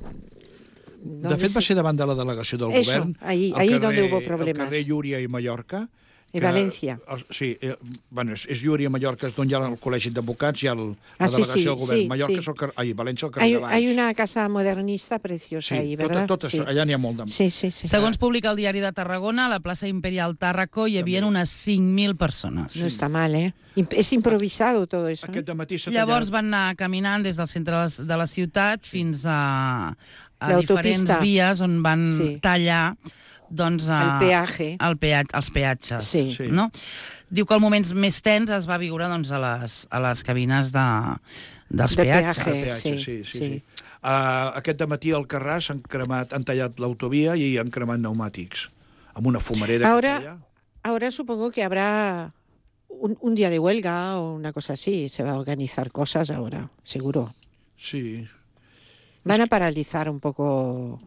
Speaker 4: De fet, va ser davant de la delegació del
Speaker 3: Eso,
Speaker 4: govern,
Speaker 3: ahí-
Speaker 4: al
Speaker 3: ahí
Speaker 4: carrer,
Speaker 3: donde hubo problemas.
Speaker 4: al carrer Llúria i Mallorca,
Speaker 3: I València.
Speaker 4: El, sí, eh, bueno, és, és Llúria, Mallorca, és d'on hi ha el Col·legi d'Advocats, hi ha el,
Speaker 3: Ah,
Speaker 4: la
Speaker 3: sí,
Speaker 4: delegació
Speaker 3: sí,
Speaker 4: del govern.
Speaker 3: sí,
Speaker 4: Mallorca
Speaker 3: sí.
Speaker 4: és el carrer, ai, València el carrer
Speaker 3: Hay,
Speaker 4: de Baix.
Speaker 3: hay una casa modernista preciosa
Speaker 4: sí,
Speaker 3: ahí,
Speaker 4: tot,
Speaker 3: ¿verdad?
Speaker 4: tot això,
Speaker 3: Sí.
Speaker 4: allà n'hi ha molt de...
Speaker 3: Sí, sí, sí.
Speaker 2: Segons publica el Diari de Tarragona, a la plaça Imperial Tàrraco hi havia
Speaker 4: També.
Speaker 2: unes cinc mil persones.
Speaker 3: No está mal, ¿eh? Imp- Es improvisado todo eso.
Speaker 4: Aquest
Speaker 3: ¿eh?
Speaker 4: dematí s'ha
Speaker 2: Llavors
Speaker 4: tallat...
Speaker 2: van anar caminant des del centre de la, de la ciutat fins a, a
Speaker 3: L'autopista.
Speaker 2: diferents vies on van
Speaker 3: Sí.
Speaker 2: tallar doncs, a,
Speaker 3: El peaje.
Speaker 2: el peat, els peatges.
Speaker 3: Sí.
Speaker 4: Sí.
Speaker 2: No? Diu que el moment més tens es va viure doncs, a, les, a les cabines de, dels
Speaker 3: De
Speaker 2: peatges.
Speaker 3: peatge.
Speaker 4: Peatge,
Speaker 3: sí,
Speaker 4: sí, sí,
Speaker 3: sí.
Speaker 4: sí. Uh, aquest dematí al Carràs han, cremat, han tallat l'autovia i han cremat pneumàtics amb una fumareda
Speaker 3: Ahora-
Speaker 4: que feia.
Speaker 3: Ahora supongo que habrá un, un día de huelga o una cosa así. Se va a organizar cosas ahora, seguro.
Speaker 4: Sí,
Speaker 3: Van a paralizar un poco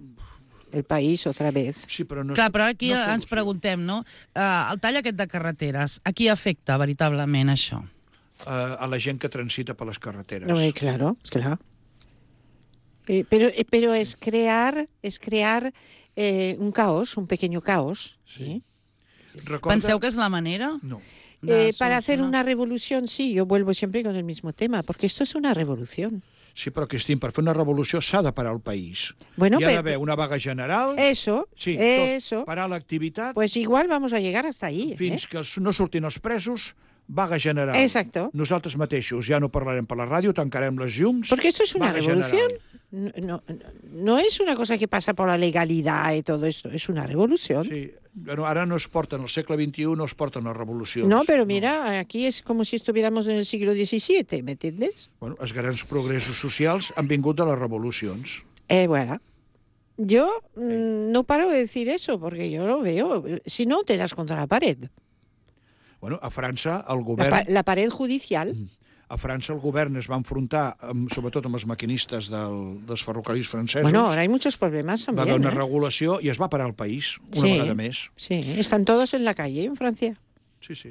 Speaker 3: el país otra vez.
Speaker 4: sí, però no...
Speaker 2: Clar, però aquí
Speaker 4: no
Speaker 2: ens
Speaker 4: solució.
Speaker 2: preguntem, no? Uh, el tall aquest de carreteres, a qui afecta veritablement això?
Speaker 4: Uh, a la gent que transita per les carreteres.
Speaker 3: No, eh, claro, claro. Eh, pero, eh, pero es crear, es crear eh, un caos, un pequeño caos.
Speaker 4: Sí.
Speaker 3: ¿eh?
Speaker 4: Recorda...
Speaker 2: Penseu que és la manera?
Speaker 4: No.
Speaker 2: de
Speaker 3: Eh, para hacer
Speaker 2: solucionar?
Speaker 3: una revolución, sí, yo vuelvo siempre con el mismo tema, porque esto es una revolución.
Speaker 4: Sí, però, Cristín, per fer una revolució s'ha de parar el país.
Speaker 3: Bueno,
Speaker 4: Hi ha
Speaker 3: pero-
Speaker 4: d'haver una vaga general,
Speaker 3: Eso,
Speaker 4: sí,
Speaker 3: eso.
Speaker 4: tot, parar l'activitat,
Speaker 3: Pues igual vamos a llegar hasta ahí. ¿eh?
Speaker 4: fins que no surtin els presos, vaga general.
Speaker 3: Exacto.
Speaker 4: Nosaltres mateixos ja no parlarem per la ràdio, tancarem les llums...
Speaker 3: Porque esto es una
Speaker 4: vaga
Speaker 3: revolución.
Speaker 4: general.
Speaker 3: No, no, no es una cosa que pasa por la legalidad y todo esto, es una revolución.
Speaker 4: Sí, bueno, ara no es porten, al segle veintiú no es porten les revolucions.
Speaker 3: No, pero mira, aquí es como si estuviéramos en el siglo diecisiete, ¿me entiendes?
Speaker 4: Bueno, els grans progressos socials han vingut de les revolucions.
Speaker 3: Eh, bueno, yo mm, no paro de decir eso porque yo lo veo. Si no, te das contra la pared.
Speaker 4: Bueno, a França el
Speaker 3: La,
Speaker 4: govern...
Speaker 3: pa- la pared judicial.
Speaker 4: A França el govern es va enfrontar, amb, sobretot amb els maquinistes del, dels ferrocarrils francesos.
Speaker 3: Bueno, ahora hay muchos problemas
Speaker 4: va
Speaker 3: también.
Speaker 4: haver una
Speaker 3: ¿eh?
Speaker 4: regulació i es va parar el país, una
Speaker 3: Sí.
Speaker 4: vegada més.
Speaker 3: Sí, están todos en la calle en Francia.
Speaker 4: Sí, sí.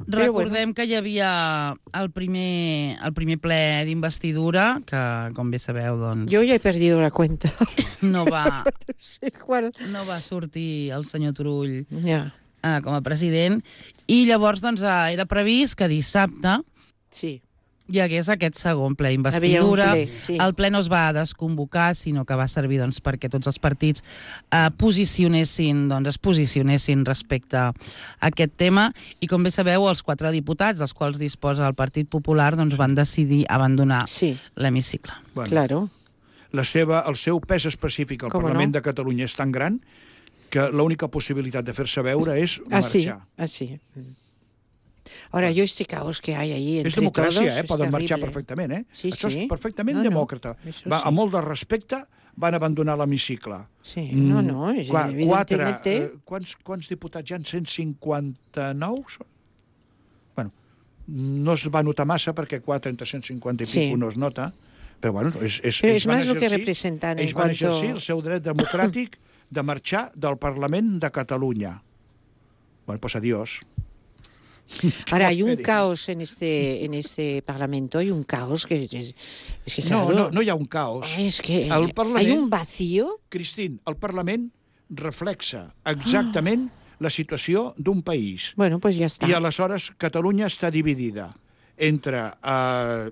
Speaker 3: Però
Speaker 2: Recordem que hi havia el primer, el primer ple d'investidura, que, com bé sabeu, doncs,
Speaker 3: Yo ya he perdido la cuenta.
Speaker 2: no, va,
Speaker 3: No sé cuál.
Speaker 2: no va sortir el senyor Turull
Speaker 3: Ya,
Speaker 2: eh, com a president, i llavors doncs, eh, era previst que dissabte
Speaker 3: sí.
Speaker 2: hi hagués aquest segon ple
Speaker 3: Havia un
Speaker 2: d'investidura.
Speaker 3: ple, sí.
Speaker 2: El ple no es va desconvocar, sinó que va servir doncs, perquè tots els partits eh, posicionessin, doncs, es posicionessin respecte a aquest tema. I com bé sabeu, els quatre diputats, dels quals disposa el Partit Popular, doncs, van decidir abandonar
Speaker 3: Sí,
Speaker 2: l'hemicicle.
Speaker 4: Bueno,
Speaker 3: claro.
Speaker 4: la seva, el seu pes específic al
Speaker 3: Com
Speaker 4: Parlament
Speaker 3: no?
Speaker 4: de Catalunya és tan gran que l'única possibilitat de fer-se veure és
Speaker 3: Así,
Speaker 4: marxar.
Speaker 3: así. Ahora, yo este caos que hay ahí entre
Speaker 4: És democràcia,
Speaker 3: todos
Speaker 4: eh?
Speaker 3: es
Speaker 4: Poden marxar
Speaker 3: terrible.
Speaker 4: perfectament, eh?
Speaker 3: Sí,
Speaker 4: Això
Speaker 3: sí.
Speaker 4: és perfectament
Speaker 3: No, no,
Speaker 4: demòcrata.
Speaker 3: això
Speaker 4: Va,
Speaker 3: sí.
Speaker 4: amb molt de respecte van abandonar l'hemicicle.
Speaker 3: Sí, no, no,
Speaker 4: Mm, qua- quatre,
Speaker 3: evidentemente...
Speaker 4: eh, quants, quants diputats hi ha? cent cinquanta-nou? són? Bueno, no es va notar massa perquè quatre entre cent cinquanta i
Speaker 3: Sí.
Speaker 4: pico no es nota, però bueno, és, és,
Speaker 3: Però
Speaker 4: ells
Speaker 3: és
Speaker 4: van
Speaker 3: més el que
Speaker 4: exercir-
Speaker 3: representen en
Speaker 4: ells van
Speaker 3: cuanto-
Speaker 4: exercir el seu dret democràtic de marxar del Parlament de Catalunya. Bueno, pues adiós.
Speaker 3: Ahora, hay un
Speaker 4: Esperi.
Speaker 3: caos en este, en este Parlamento, hay un caos que es, es que,
Speaker 4: No,
Speaker 3: claro,
Speaker 4: no, no hi ha un caos.
Speaker 3: ay, es que
Speaker 4: El Parlament-
Speaker 3: hay un vacío.
Speaker 4: Cristín, el Parlament reflexa exactament la situació d'un país.
Speaker 3: Bueno, pues ya está.
Speaker 4: I aleshores Catalunya està dividida entre eh,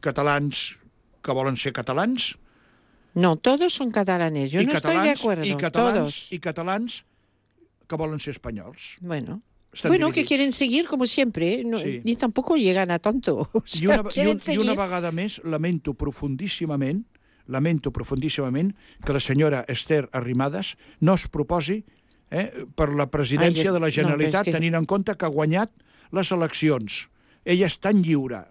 Speaker 4: catalans que volen ser catalans
Speaker 3: No, todos son catalanes. Yo
Speaker 4: i
Speaker 3: no estoy de
Speaker 4: catalans,
Speaker 3: acuerdo.
Speaker 4: i catalans
Speaker 3: Todos.
Speaker 4: i catalans que volen ser espanyols.
Speaker 3: Bueno.
Speaker 4: Estan
Speaker 3: Bueno, que
Speaker 4: dividits.
Speaker 3: quieren seguir como siempre, no,
Speaker 4: Sí.
Speaker 3: ni tampoco llegan a tanto. O sea,
Speaker 4: I una, i,
Speaker 3: quieren
Speaker 4: un, I
Speaker 3: seguir.
Speaker 4: una vegada més lamento profundíssimament lamento profundíssimament que la senyora Esther Arrimadas no es proposi eh, per la presidència
Speaker 3: Ai,
Speaker 4: de la
Speaker 3: no,
Speaker 4: Generalitat,
Speaker 3: però és que-
Speaker 4: tenint en compte que ha guanyat les eleccions. Ella és tan lliure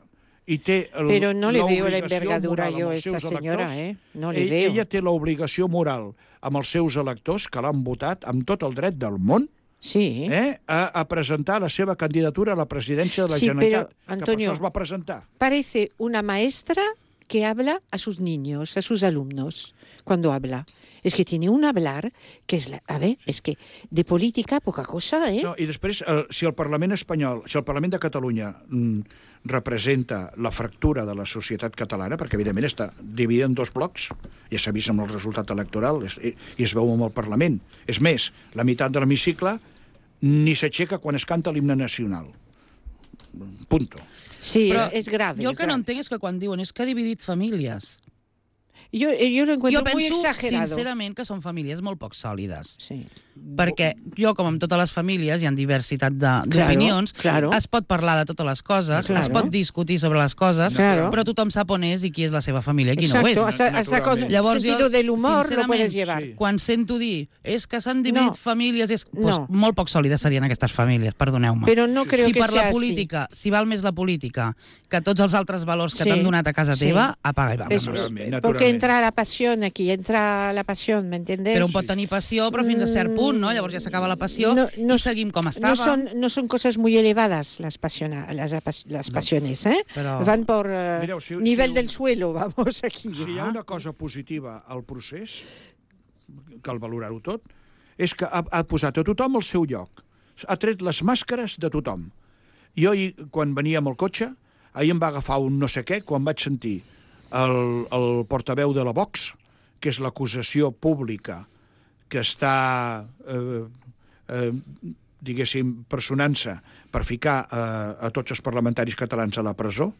Speaker 4: i té el,
Speaker 3: Pero no le veo la
Speaker 4: l'obligació
Speaker 3: envergadura
Speaker 4: moral
Speaker 3: yo
Speaker 4: amb
Speaker 3: a
Speaker 4: els
Speaker 3: esta
Speaker 4: seus
Speaker 3: señora,
Speaker 4: electors.
Speaker 3: ¿eh? No le
Speaker 4: Ell-
Speaker 3: veo.
Speaker 4: Ella té l'obligació moral amb els seus electors, que l'han votat amb tot el dret del món,
Speaker 3: Sí.
Speaker 4: eh, a, a presentar la seva candidatura a la presidència de la
Speaker 3: Sí,
Speaker 4: Generalitat,
Speaker 3: però,
Speaker 4: que per
Speaker 3: Antonio,
Speaker 4: això es va presentar.
Speaker 3: Parece una maestra que habla a sus niños, a sus alumnos, cuando habla. Es que tiene un hablar que es, la, a ver, es que de política poca cosa, ¿eh?
Speaker 4: No, I després, eh, si el Parlament espanyol, si el Parlament de Catalunya mm, representa la fractura de la societat catalana, perquè evidentment està dividida en dos blocs, ja s'ha vist amb el resultat electoral, és, i, i es veu amb el Parlament. És més, la meitat de l'hemicicle ni s'aixeca quan es canta l'himne nacional. Punto.
Speaker 3: Sí,
Speaker 2: Però
Speaker 3: es, es grave.
Speaker 2: Jo el
Speaker 3: es
Speaker 2: que no
Speaker 3: grave.
Speaker 2: entenc és que quan diuen és que ha dividit famílies.
Speaker 3: Yo, yo lo encuentro
Speaker 2: Jo penso,
Speaker 3: muy exagerado.
Speaker 2: sincerament, que són famílies molt poc sòlides.
Speaker 3: Sí.
Speaker 2: Perquè jo, com amb totes les famílies, hi ha diversitat de- d'opinions,
Speaker 3: claro.
Speaker 2: es pot parlar de totes les coses,
Speaker 3: Claro.
Speaker 2: es pot discutir sobre les coses,
Speaker 3: Claro.
Speaker 2: però tothom sap on és i qui és la seva família i qui
Speaker 3: Exacto,
Speaker 2: no ho és.
Speaker 3: hasta, hasta con
Speaker 4: Naturalment.
Speaker 2: Llavors,
Speaker 3: sentido
Speaker 2: jo,
Speaker 3: del humor lo
Speaker 2: sincerament,
Speaker 3: puedes llevar.
Speaker 4: sí.
Speaker 2: Quan sento dir és que s'han dividit
Speaker 3: No.
Speaker 2: famílies, és, doncs,
Speaker 3: No.
Speaker 2: molt poc sòlides serien aquestes famílies, perdoneu-me.
Speaker 3: Pero no creo
Speaker 2: si
Speaker 3: que
Speaker 2: per
Speaker 3: sea
Speaker 2: la
Speaker 3: así.
Speaker 2: política, si val més la política que tots els altres valors que
Speaker 3: Sí,
Speaker 2: t'han donat a casa
Speaker 3: sí.
Speaker 2: teva, apaga i
Speaker 3: Es-
Speaker 2: vámonos.
Speaker 4: Naturalment,
Speaker 3: porque
Speaker 4: naturalment.
Speaker 3: entra la pasión aquí, entra la pasión, ¿me entiendes?
Speaker 2: Però un pot tenir passió, però fins a cert punt, no? Llavors ja s'acaba la passió i seguim com
Speaker 3: no
Speaker 2: estàvem.
Speaker 3: son, no son cosas muy elevadas las, pasiona, las, apas- las pasiones, ¿eh?
Speaker 2: Pero-
Speaker 3: Van por eh,
Speaker 4: Mireu, si-
Speaker 3: nivel
Speaker 4: si-
Speaker 3: del suelo, vamos, aquí.
Speaker 4: Si hi ha una cosa positiva al procés, cal valorar-ho tot, és que ha, ha posat a tothom al seu lloc. Ha tret les màscares de tothom. Jo, ahir, quan venia amb el cotxe, ahir em va agafar un no sé què, quan vaig sentir el, el portaveu de la Vox, que és l'acusació pública que està, eh, eh, diguéssim, personant-se per ficar eh, a tots els parlamentaris catalans a la presó,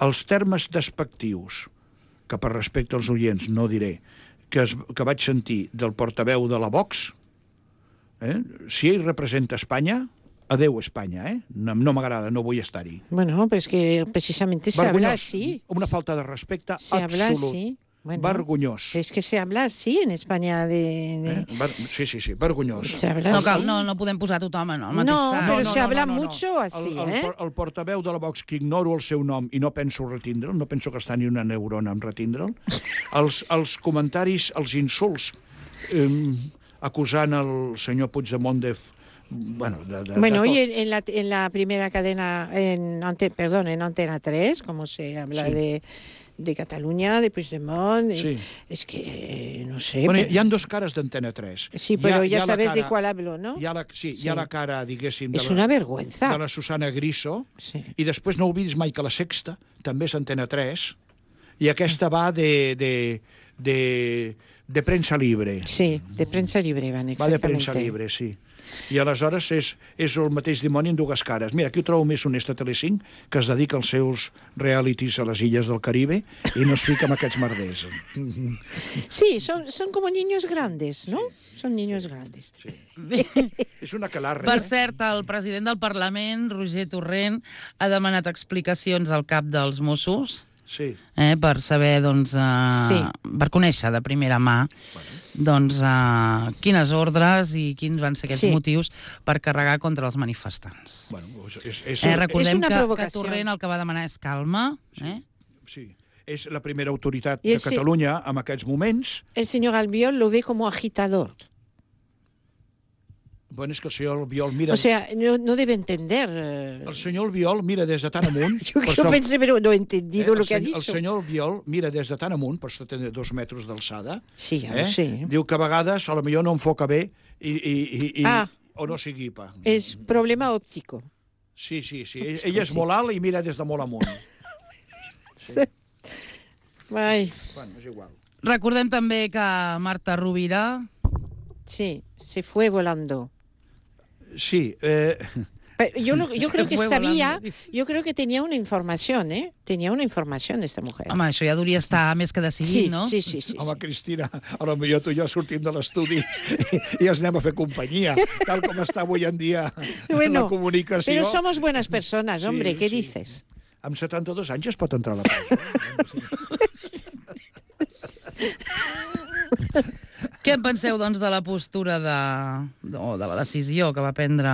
Speaker 4: els termes despectius, que per respecte als oients no diré, que, es, que vaig sentir del portaveu de la Vox, eh? Si ell representa Espanya, adeu Espanya, eh? No, no m'agrada, no vull estar-hi.
Speaker 3: Bueno, pues que precisamente se habla
Speaker 4: Vergonyós,
Speaker 3: así.
Speaker 4: una falta de respecte
Speaker 3: Se habla
Speaker 4: absolut.
Speaker 3: así. Bueno,
Speaker 4: Vergonyós.
Speaker 3: es que se habla así en España de... de-
Speaker 4: Eh? Ver, sí, sí, sí, vergonyós.
Speaker 3: Se habla
Speaker 2: No
Speaker 3: así.
Speaker 2: cal, no, no podem posar tothom en el mateix
Speaker 3: No,
Speaker 2: sac.
Speaker 3: però se habla mucho así,
Speaker 4: el, el,
Speaker 3: eh?
Speaker 4: por- el portaveu de la Vox, que ignoro el seu nom i no penso retindre'l, no penso gastar ni una neurona en retindre'l, els, els comentaris, els insults, eh, acusant el senyor Puigdemont de... Bueno, de, de,
Speaker 3: Bueno,
Speaker 4: de
Speaker 3: y
Speaker 4: tot.
Speaker 3: en, en la, en la primera cadena, en, ante- perdón, en Antena tres, como se habla
Speaker 4: Sí.
Speaker 3: de, de Cataluña, de Puigdemont, y-
Speaker 4: Sí.
Speaker 3: es que, eh, no sé...
Speaker 4: Bueno,
Speaker 3: pero-
Speaker 4: hi ha dos cares d'Antena tres.
Speaker 3: sí,
Speaker 4: Hi
Speaker 3: pero
Speaker 4: ha- hi
Speaker 3: ya
Speaker 4: ha la
Speaker 3: sabes de
Speaker 4: cara-
Speaker 3: cuál hablo, ¿no?
Speaker 4: Hi ha la, sí,
Speaker 3: Sí.
Speaker 4: hi ha la cara, diguéssim, de
Speaker 3: Es
Speaker 4: la,
Speaker 3: una vergüenza.
Speaker 4: de la Susana Griso,
Speaker 3: Sí.
Speaker 4: i després no oblidis mai que la Sexta també és Antena tres, i aquesta va de, de, de, de premsa libre.
Speaker 3: Sí, de prensa libre van,
Speaker 4: Va de
Speaker 3: exactamente.
Speaker 4: premsa libre, sí. I aleshores és, és el mateix dimoni en dues cares. Mira, aquí ho trobo més honest a Telecinc, que es dedica als seus realities a les illes del Caribe i no es fica amb aquests merders.
Speaker 3: Sí, son, son como niños grandes, ¿no? Son niños grandes.
Speaker 4: És una calarra.
Speaker 2: Per
Speaker 4: eh?
Speaker 2: cert, el president del Parlament, Roger Torrent, ha demanat explicacions al cap dels Mossos
Speaker 4: Sí.
Speaker 2: eh, per saber, doncs, eh,
Speaker 3: Sí.
Speaker 2: per conèixer de primera mà doncs, eh, quines ordres i quins van ser aquests
Speaker 3: Sí.
Speaker 2: motius per carregar contra els manifestants.
Speaker 4: Bueno, és, és,
Speaker 2: Eh, recordem
Speaker 3: una
Speaker 2: que, que
Speaker 3: provocació.
Speaker 2: Torrent el que va demanar és calma. Eh?
Speaker 4: sí. És la primera autoritat
Speaker 3: I
Speaker 4: de
Speaker 3: el sí-
Speaker 4: Catalunya en aquests moments.
Speaker 3: El señor Albiol lo ve como agitador.
Speaker 4: Bueno, és que el senyor Albiol mira...
Speaker 3: O sea, no, no debe entender. eh,
Speaker 4: El senyor Albiol mira des de tan amunt...
Speaker 3: Yo,
Speaker 4: per
Speaker 3: yo
Speaker 4: so-
Speaker 3: pensé, pero no he entendido
Speaker 4: eh,
Speaker 3: lo
Speaker 4: el
Speaker 3: que ha
Speaker 4: senyor-
Speaker 3: dicho.
Speaker 4: El senyor Albiol mira des de tan amunt, per això té dos metres d'alçada,
Speaker 3: Sí, ja
Speaker 4: eh?
Speaker 3: ho sé.
Speaker 4: Diu que a vegades a lo millor no enfoca bé i, i, i, i,
Speaker 3: Ah.
Speaker 4: o no s'hi guipa.
Speaker 3: Es problema óptico.
Speaker 4: Sí, sí, sí. Ell, ell és molt alt i mira des de molt amunt.
Speaker 3: Ay,
Speaker 4: Bueno, és igual.
Speaker 2: Recordem també que Marta Rovira...
Speaker 3: sí, se fue volando.
Speaker 4: Sí, eh,
Speaker 3: Pero yo, lo- yo creo que
Speaker 2: fue
Speaker 3: sabía,
Speaker 2: volando.
Speaker 3: yo creo que tenía una información, ¿eh? Tenía una información esta mujer.
Speaker 2: Home, això ja hauria estar més que decidit,
Speaker 3: sí,
Speaker 2: no?
Speaker 3: sí, sí, sí,
Speaker 4: home,
Speaker 3: sí.
Speaker 4: Cristina, a lo millor tu i jo sortim de l'estudi i, i ens anem a fer companyia, tal com està avui en dia
Speaker 3: Bueno,
Speaker 4: la comunicació.
Speaker 3: pero somos buenas personas,
Speaker 4: Sí,
Speaker 3: hombre, ¿qué
Speaker 4: sí.
Speaker 3: dices?
Speaker 4: Amb setanta-dos anys es pot entrar a la presó.
Speaker 2: Què en penseu, doncs, de la postura de... o de la decisió que va prendre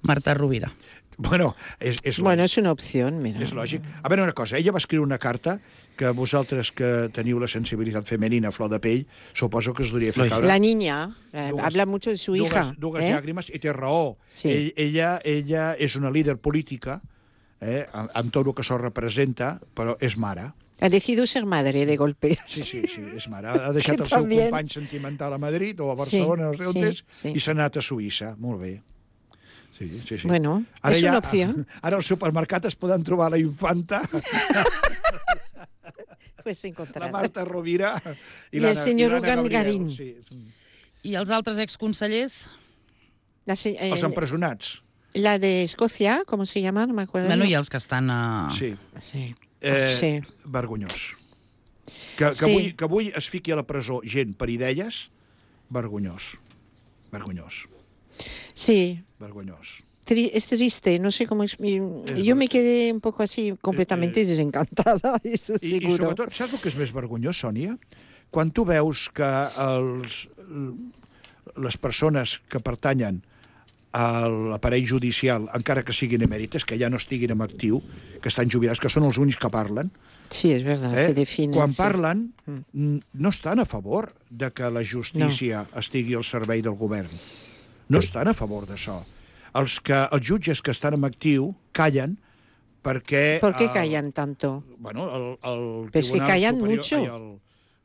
Speaker 2: Marta Rovira?
Speaker 4: Bueno, és, és lògic.
Speaker 3: Bueno, es una opción, mira.
Speaker 4: És lògic. A veure una cosa, ella va escriure una carta que vosaltres que teniu la sensibilitat femenina a flor de pell, suposo que us hauria fer caure
Speaker 3: La niña eh,
Speaker 4: dues-
Speaker 3: habla mucho de su hija.
Speaker 4: dues, dues
Speaker 3: ¿eh?
Speaker 4: llàgrimes, i té raó.
Speaker 3: Sí.
Speaker 4: Ell, ella, ella és una líder política, eh, amb, amb tot el que això representa, però és mare.
Speaker 3: Ha decidido ser madre de golpe.
Speaker 4: Sí, sí, sí, és mare. Ha deixat
Speaker 3: Que
Speaker 4: el seu
Speaker 3: también.
Speaker 4: company sentimental a Madrid o a Barcelona, no sé on
Speaker 3: sí,
Speaker 4: és,
Speaker 3: sí.
Speaker 4: i s'ha anat a Suïssa. Molt bé. Sí, sí, sí.
Speaker 3: Bueno, és
Speaker 4: ja-
Speaker 3: una opció.
Speaker 4: Ara al supermercat es poden trobar la infanta,
Speaker 3: Pues se
Speaker 4: la
Speaker 3: encontrará.
Speaker 4: Marta Rovira i,
Speaker 3: I el
Speaker 4: l'Anna-
Speaker 3: senyor
Speaker 4: i l'Anna
Speaker 3: Urgan
Speaker 4: Gabriel.
Speaker 3: Garín.
Speaker 4: Sí.
Speaker 2: I els altres exconsellers?
Speaker 3: La, se- eh,
Speaker 4: Els empresonats.
Speaker 3: la de Escocia, ¿cómo se llama? No me acuerdo.
Speaker 2: Bueno, hi ha els que estan a...
Speaker 4: Sí.
Speaker 3: Sí.
Speaker 4: Eh,
Speaker 3: Sí.
Speaker 4: Vergonyós. Que, que,
Speaker 3: Sí.
Speaker 4: avui, que avui es fiqui a la presó gent per idees, vergonyós. Vergonyós.
Speaker 3: Sí.
Speaker 4: Vergonyós.
Speaker 3: Tri- es triste, no sé cómo es. Yo
Speaker 4: ver-
Speaker 3: me quedé un poco así, completamente
Speaker 4: Eh, eh,
Speaker 3: desencantada, eso
Speaker 4: I, I
Speaker 3: seguro.
Speaker 4: sobretot, saps el que és més vergonyós, Sònia? Quan tu veus que els, les persones que pertanyen a l'aparell judicial, encara que siguin emèrites, que ja no estiguin en actiu, que estan jubilats, que són els únics que parlen,
Speaker 3: Sí, es verdad,
Speaker 4: eh?
Speaker 3: se define.
Speaker 4: quan
Speaker 3: sí.
Speaker 4: parlen
Speaker 3: Mm.
Speaker 4: n- no estan a favor de que la justícia no. estigui al servei del govern. No estan a favor d'això. Els, que, els jutges que estan en actiu callen perquè...
Speaker 3: ¿Por qué
Speaker 4: el-
Speaker 3: callan tanto?
Speaker 4: Bueno, el, el
Speaker 3: Pero es que
Speaker 4: Tribunal
Speaker 3: callan
Speaker 4: Superior...
Speaker 3: mucho.
Speaker 4: Ai, el,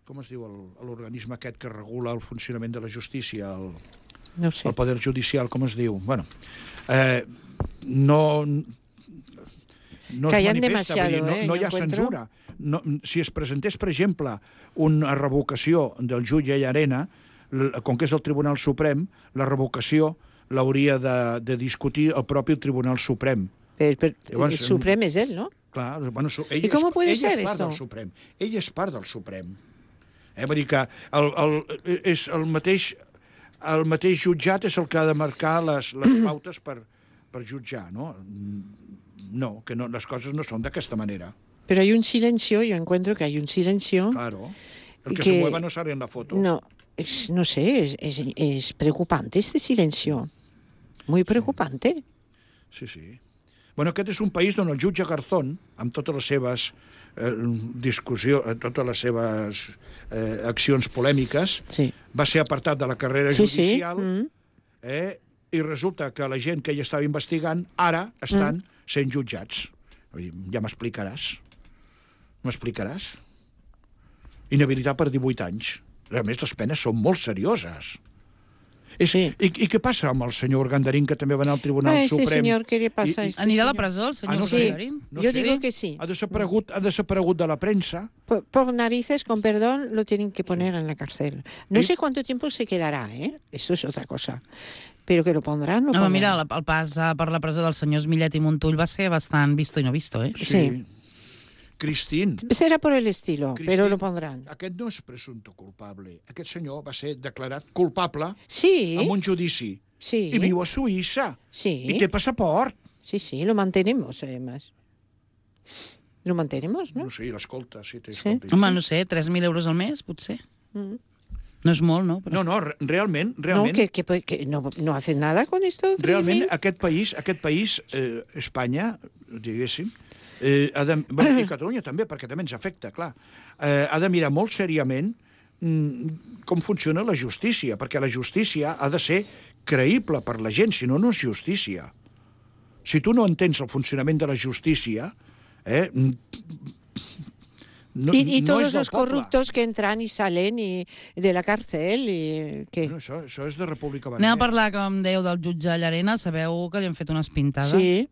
Speaker 4: com es diu el- l'organisme aquest que regula el funcionament de la justícia, el,
Speaker 3: No sé.
Speaker 4: el Poder Judicial, com es diu? Bueno, eh, no... No es
Speaker 3: Callan
Speaker 4: manifesta, vull dir,
Speaker 3: demasiado,
Speaker 4: no,
Speaker 3: eh,
Speaker 4: no
Speaker 3: yo
Speaker 4: hi ha
Speaker 3: encuentro.
Speaker 4: censura. No, si es presentés, per exemple, una revocació del jutge Llarena, l- com que és el Tribunal Suprem, la revocació l'hauria de, de discutir el propi Tribunal Suprem.
Speaker 3: Pero, pero
Speaker 4: Llavors,
Speaker 3: el Supremo es él, ¿no?
Speaker 4: Clar, bueno, su- ell
Speaker 3: I com
Speaker 4: és,
Speaker 3: puede
Speaker 4: ell
Speaker 3: ser
Speaker 4: és part
Speaker 3: esto?
Speaker 4: del Suprem. Ell és part del Suprem. Eh, vull dir que el, el, és el mateix, el mateix jutjat és el que ha de marcar les, les pautes per, per jutjar, no? No, que no, les coses no són d'aquesta manera.
Speaker 3: Pero hay un silencio, yo encuentro que hay un silencio.
Speaker 4: Claro. El que,
Speaker 3: Que-
Speaker 4: se mueva no sale en la foto.
Speaker 3: No, es- no sé, es, es, es preocupante este silencio. Muy preocupante.
Speaker 4: Sí, sí. Bueno, aquest és un país on el jutge Garzón, amb totes les seves eh, discussions, totes les seves eh, accions polèmiques,
Speaker 3: Sí.
Speaker 4: va ser apartat de la carrera
Speaker 3: Sí, sí.
Speaker 4: judicial,
Speaker 3: Mm.
Speaker 4: eh, i resulta que la gent que hi estava investigant ara estan
Speaker 3: Mm.
Speaker 4: sent jutjats. Vull dir, ja m'explicaràs. M'explicaràs? Inhabilitat per divuit anys. A més, les penes són molt serioses. És,
Speaker 3: Sí.
Speaker 4: i, I què passa amb el senyor Gandarín, que també va anar al Tribunal
Speaker 3: Ah, este
Speaker 4: Suprem?
Speaker 3: señor, ¿qué le pasa a
Speaker 4: I- i-
Speaker 3: este
Speaker 2: Anirà a la
Speaker 3: señor?
Speaker 2: presó, el
Speaker 4: Ah,
Speaker 2: senyor
Speaker 4: no
Speaker 2: sí.
Speaker 4: sé.
Speaker 2: Garín?
Speaker 4: No
Speaker 3: Yo
Speaker 4: sé.
Speaker 3: digo que sí.
Speaker 4: Ha desaparegut, ha desaparegut de la premsa.
Speaker 3: Por, por narices, con perdón, lo tienen que poner en la cárcel. No
Speaker 4: ¿Y?
Speaker 3: sé cuánto tiempo se quedará, ¿eh? Eso es otra cosa. Pero que lo pondrán, lo
Speaker 2: No,
Speaker 3: pondrán.
Speaker 2: mira, el, el pas eh, per la presó dels senyors Millet i Montull va ser bastant visto i no visto, eh?
Speaker 3: Sí.
Speaker 4: Cristín.
Speaker 3: Será por el estilo,
Speaker 4: Cristín,
Speaker 3: pero lo pondrán.
Speaker 4: Aquest no és presumpte culpable. Aquest senyor va ser declarat culpable
Speaker 3: Sí,
Speaker 4: en un judici.
Speaker 3: sí.
Speaker 4: I viu a Suïssa.
Speaker 3: Sí.
Speaker 4: I té passaport.
Speaker 3: Sí, sí, lo mantenemos, además. Lo mantenemos, ¿no?
Speaker 4: No sé, l'escolta, sí, té
Speaker 3: Sí.
Speaker 4: escolta.
Speaker 2: Home, no sé, tres mil euros al mes, potser.
Speaker 3: Mm.
Speaker 2: No és molt, no? Però...
Speaker 4: No, no, re- realment,
Speaker 3: No,
Speaker 4: realment,
Speaker 3: que, que, que no, no hacen nada con esto.
Speaker 4: realment
Speaker 3: Miguel?
Speaker 4: aquest país, aquest país eh, Espanya, diguéssim, eh, ha de, bueno, i Catalunya també, perquè també ens afecta, clar, eh, ha de mirar molt seriament mm, com funciona la justícia, perquè la justícia ha de ser creïble per la gent, si no, no és justícia. Si tu no entens el funcionament de la justícia, eh, no,
Speaker 3: y, y
Speaker 4: no
Speaker 3: todos
Speaker 4: és del
Speaker 3: los
Speaker 4: poble.
Speaker 3: corruptos que entran y salen y, de la cárcel y que
Speaker 4: Bueno, això, això és de República
Speaker 2: Anem
Speaker 4: Banera.
Speaker 2: a parlar, com dèieu, del jutge Llarena. Sabeu que li han fet unes pintades?
Speaker 3: sí.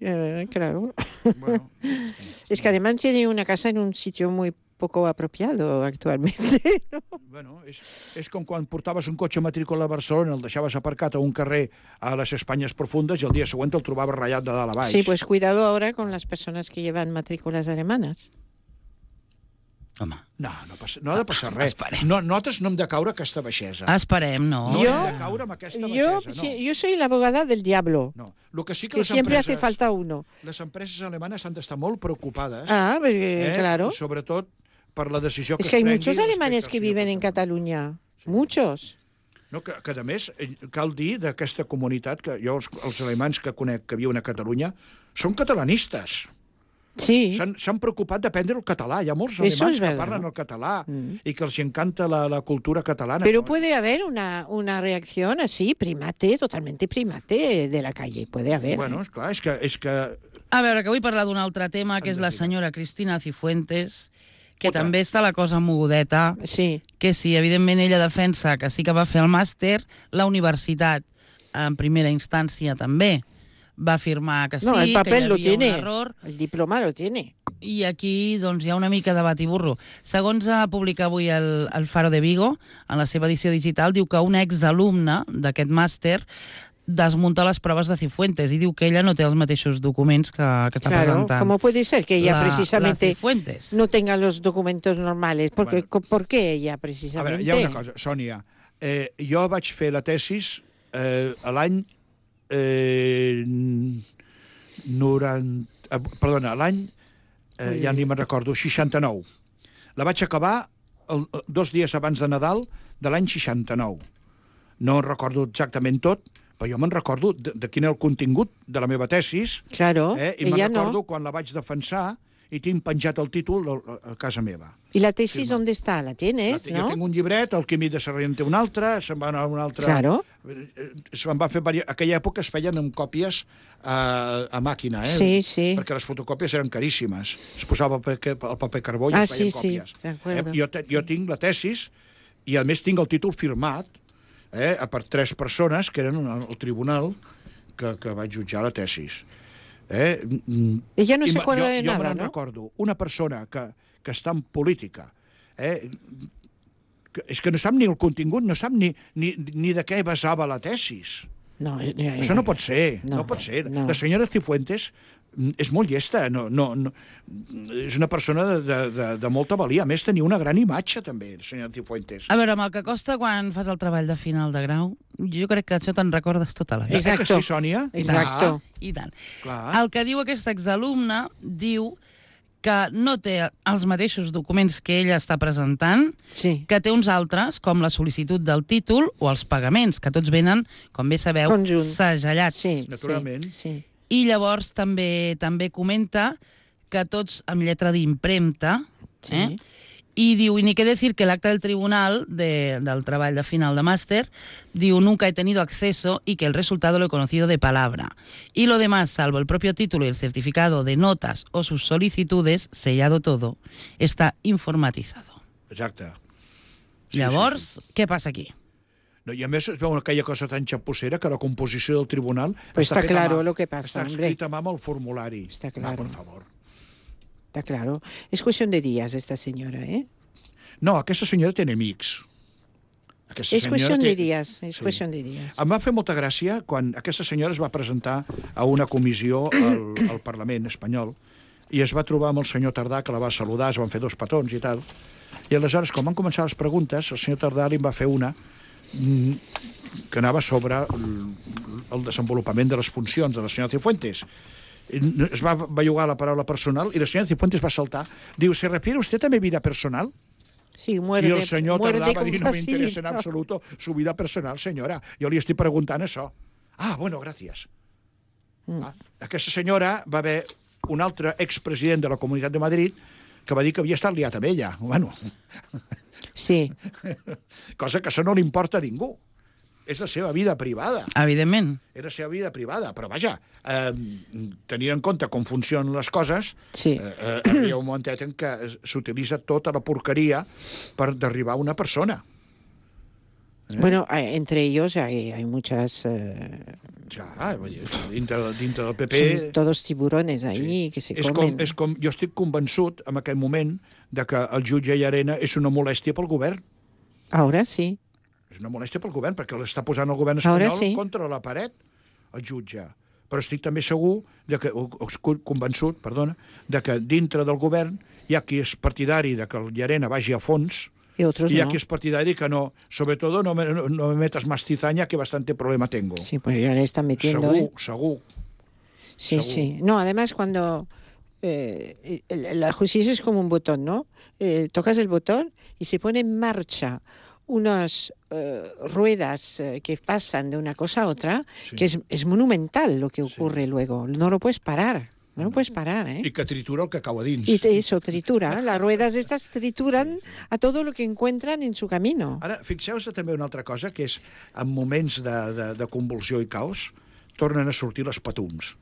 Speaker 3: Eh, claro.
Speaker 4: Bueno,
Speaker 3: Es que además tiene una casa en un sitio muy poco apropiado actualmente. ¿no?
Speaker 4: bueno, és, és com quan portaves un cotxe matrícula a Barcelona, el deixaves aparcat a un carrer a les Espanyes profundes i el dia següent el trobaves ratllat de dalt a baix.
Speaker 3: Sí, pues cuidado ahora con las personas que llevan matrículas alemanas.
Speaker 2: Home,
Speaker 4: No, no, passa, no ha de passar res.
Speaker 2: Esperem.
Speaker 4: No, nosaltres no hem de caure aquesta baixesa.
Speaker 2: esperem, no.
Speaker 4: No
Speaker 3: Jo-
Speaker 4: hem de caure amb aquesta
Speaker 3: Yo,
Speaker 4: baixesa, no.
Speaker 3: sí, yo soy la abogada del diablo,
Speaker 4: No, el que sí que,
Speaker 3: que
Speaker 4: les
Speaker 3: siempre
Speaker 4: empreses,
Speaker 3: hace falta uno.
Speaker 4: les empreses alemanes han d'estar molt preocupades,
Speaker 3: Ah, pues, eh, claro.
Speaker 4: sobretot per la decisió que
Speaker 3: Es que hay
Speaker 4: es prengui
Speaker 3: muchos
Speaker 4: respecte
Speaker 3: alemanes
Speaker 4: al
Speaker 3: que
Speaker 4: senyor
Speaker 3: viven en
Speaker 4: Puigdemont.
Speaker 3: Cataluña. Muchos.
Speaker 4: No, que, que, a més, eh, cal dir d'aquesta comunitat, que jo els, els alemans que conec que viuen a Catalunya, són catalanistes.
Speaker 3: Sí.
Speaker 4: S'han s'han preocupat d'aprendre el català. Hi ha molts
Speaker 3: Eso
Speaker 4: alemans
Speaker 3: es
Speaker 4: que
Speaker 3: verdad.
Speaker 4: parlen el català
Speaker 3: Mm.
Speaker 4: i que els encanta la, la cultura catalana.
Speaker 3: Pero puede haber una, una reacción así, primate, totalmente primate de la calle. Puede haber.
Speaker 4: Bueno,
Speaker 3: ¿eh?
Speaker 4: és clar, és que, és que
Speaker 2: A veure, que vull parlar d'un altre tema, que és la
Speaker 4: Endevina.
Speaker 2: senyora Cristina Cifuentes, que
Speaker 4: Ota.
Speaker 2: també està la cosa mogudeta,
Speaker 3: Sí.
Speaker 2: que sí, evidentment ella defensa que sí que va fer el màster, la universitat en primera instància també va afirmar que sí,
Speaker 3: No, el
Speaker 2: que hi
Speaker 3: papel lo
Speaker 2: havia un
Speaker 3: tiene.
Speaker 2: error,
Speaker 3: El diploma lo tiene.
Speaker 2: I aquí doncs, hi ha una mica de bat i burro. Segons ha publicat avui el, el Faro de Vigo, en la seva edició digital, diu que una exalumna d'aquest màster desmunta les proves de Cifuentes i diu que ella no té els mateixos documents que, que està
Speaker 3: Claro,
Speaker 2: presentant.
Speaker 3: ¿cómo puede ser que ella
Speaker 2: la,
Speaker 3: precisamente
Speaker 2: la Cifuentes.
Speaker 3: no tenga los documentos normales? Porque,
Speaker 4: Bueno.
Speaker 3: ¿Por qué ella
Speaker 4: A
Speaker 3: precisamente?
Speaker 4: veure, hi ha una cosa, Sònia. Eh, jo vaig fer la tesis eh, a l'any... Eh, noranta... Eh, perdona, a l'any... Eh, ja ni me'n recordo, seixanta-nou. La vaig acabar el, dos dies abans de Nadal de l'any seixanta-nou. No en recordo exactament tot, però jo me'n recordo de, de quin era el contingut de la meva tesis,
Speaker 3: Claro,
Speaker 4: eh, i me'n
Speaker 3: ella
Speaker 4: recordo
Speaker 3: no.
Speaker 4: quan la vaig defensar i tinc penjat el títol a, a casa meva.
Speaker 3: ¿Y la tesis
Speaker 4: Sí,
Speaker 3: dónde está? ¿La
Speaker 4: La
Speaker 3: tienes,
Speaker 4: te-
Speaker 3: no?
Speaker 4: Jo tinc un llibret, el Quimi de Sarrià en té un altre, se'n va anar a un altre...
Speaker 3: Claro.
Speaker 4: Eh, Se'n va fer... Vari... Aquella època es feien amb còpies a, a màquina, eh?
Speaker 3: Sí, sí.
Speaker 4: Perquè les fotocòpies eren caríssimes. Es posava el paper, el paper carbó i
Speaker 3: Ah,
Speaker 4: es feien
Speaker 3: sí, sí,
Speaker 4: còpies.
Speaker 3: de acuerdo.
Speaker 4: Eh? Jo, te, jo tinc la tesis i, a més, tinc el títol firmat eh, per tres persones que eren al al tribunal que, que vaig jutjar la tesis. Eh? mm,
Speaker 3: Ella no
Speaker 4: i
Speaker 3: se
Speaker 4: me-
Speaker 3: acuerda
Speaker 4: jo,
Speaker 3: de
Speaker 4: jo
Speaker 3: nada,
Speaker 4: me'n
Speaker 3: ¿no?
Speaker 4: recordo. Una persona que, que està en política, eh, que, és que no sap ni el contingut, no sap ni, ni, ni de què basava la tesis.
Speaker 3: No, eh, eh,
Speaker 4: Això no pot ser, no,
Speaker 3: no,
Speaker 4: pot ser.
Speaker 3: no.
Speaker 4: La senyora Cifuentes mm, és molt llesta, no, no, no, és una persona de, de, de, de molta valia. A més, tenia una gran imatge, també, la senyora Cifuentes.
Speaker 2: A veure, amb el que costa quan fas el treball de final de grau, jo crec que això te'n recordes tota la vida.
Speaker 4: Eh que
Speaker 3: Exacto.
Speaker 4: sí, Sònia?
Speaker 3: Exacto.
Speaker 2: I tant.
Speaker 4: Clar.
Speaker 2: El que diu aquesta exalumna diu que no té els mateixos documents que ella està presentant,
Speaker 3: Sí.
Speaker 2: que té uns altres, com la sol·licitud del títol o els pagaments, que tots venen, com bé sabeu,
Speaker 3: Conjunt.
Speaker 2: segellats.
Speaker 3: Sí,
Speaker 4: Naturalment.
Speaker 3: Sí, sí.
Speaker 2: I llavors també també comenta que tots amb lletra d'impremta,
Speaker 3: Sí.
Speaker 2: eh? I diu, y ni qué decir que el acta del tribunal de, del treball de final de màster, diu, nunca he tenido acceso y que el resultado lo he conocido de palabra. Y lo demás, salvo el propio título y el certificado de notas o sus solicitudes, sellado todo, está informatizado.
Speaker 4: Exacte.
Speaker 2: Llavors, què passa aquí?
Speaker 4: No, I a més es veu aquella cosa tan xapussera que la composició del tribunal
Speaker 3: Pues está
Speaker 4: feta a
Speaker 3: claro
Speaker 4: mà.
Speaker 3: lo que pasa,
Speaker 4: Està
Speaker 3: hombre.
Speaker 4: escrita a mà amb el formulari.
Speaker 3: Está
Speaker 4: Va,
Speaker 3: claro.
Speaker 4: per favor.
Speaker 3: Está claro. Es cuestión de días esta señora, ¿eh?
Speaker 4: No, aquesta senyora té enemics. Aquesta
Speaker 3: Es
Speaker 4: senyora
Speaker 3: cuestión
Speaker 4: té-
Speaker 3: de días, es
Speaker 4: Sí.
Speaker 3: cuestión de días.
Speaker 4: Em va fer molta gràcia quan aquesta senyora es va presentar a una comissió al, al Parlament espanyol i es va trobar amb el senyor Tardà, que la va saludar, es van fer dos petons i tal. I aleshores, quan van començar les preguntes, el senyor Tardà li en va fer una mm, que anava sobre el, el desenvolupament de les funcions de la senyora Cifuentes. I es va bellugar la paraula personal i la senyora Cifuentes va saltar. Diu, ¿se refiere usted a mi vida personal?
Speaker 3: Sí, muerde,
Speaker 4: I el senyor
Speaker 3: muerde
Speaker 4: Tardà va
Speaker 3: con
Speaker 4: dir, no m'interessa en
Speaker 3: facilidad.
Speaker 4: absoluto su vida personal, senyora. Jo li estic preguntant això. Ah, bueno, gràcies.
Speaker 3: Mm.
Speaker 4: Ah, aquesta senyora va haver un altre expresident de la Comunitat de Madrid que va dir que havia estat liat amb ella. Bueno,
Speaker 3: Sí,
Speaker 4: cosa que això no li importa a ningú. És la seva vida privada.
Speaker 2: Evidentment.
Speaker 4: És la seva vida privada. Però, vaja, eh, tenint en compte com funcionen les coses,
Speaker 3: sí.
Speaker 4: eh, eh, arriba un momentet en què s'utilitza tota la porqueria per derribar una persona.
Speaker 3: Bueno, eh, entre ellos hay, hay muchas... eh,
Speaker 4: Ja, vull dir, dintre, dintre del P P...
Speaker 3: son todos tiburones ahí que se
Speaker 4: És
Speaker 3: comen.
Speaker 4: com, és com, jo estic convençut, en aquest moment, de que el jutge Llarena és una molèstia pel govern.
Speaker 3: Ahora sí.
Speaker 4: És una molèstia pel govern, perquè l'està posant el govern
Speaker 3: Ara
Speaker 4: espanyol
Speaker 3: sí.
Speaker 4: contra la paret, el jutge. Però estic també segur, de que, o, o estic convençut, perdona, de que dintre del govern hi ha qui és partidari de que el Llarena vagi a fons
Speaker 3: Y otros
Speaker 4: i hi ha
Speaker 3: no.
Speaker 4: qui és partidari que no, sobre todo no me, no, no me metas más cizaña que bastante problema tengo.
Speaker 3: Sí, pues ya le están metiendo.
Speaker 4: segur,
Speaker 3: ¿eh?
Speaker 4: segur.
Speaker 3: Sí,
Speaker 4: seguro.
Speaker 3: sí. No, además cuando eh, el- la justicia es como un botón, ¿no? Eh, tocas el botón y se pone en marcha unas eh, ruedas eh, que pasan de una cosa a otra,
Speaker 4: Sí.
Speaker 3: que es, es monumental lo que ocurre luego. No lo puedes parar, no lo puedes parar, ¿eh?
Speaker 4: I que tritura el que cau a dins.
Speaker 3: Y te- eso tritura, las ruedas estas trituran a todo lo que encuentran en su camino.
Speaker 4: Ara, fixeu-vos també una altra cosa, que és en moments de, de, de convulsió i caos tornen a sortir les patums.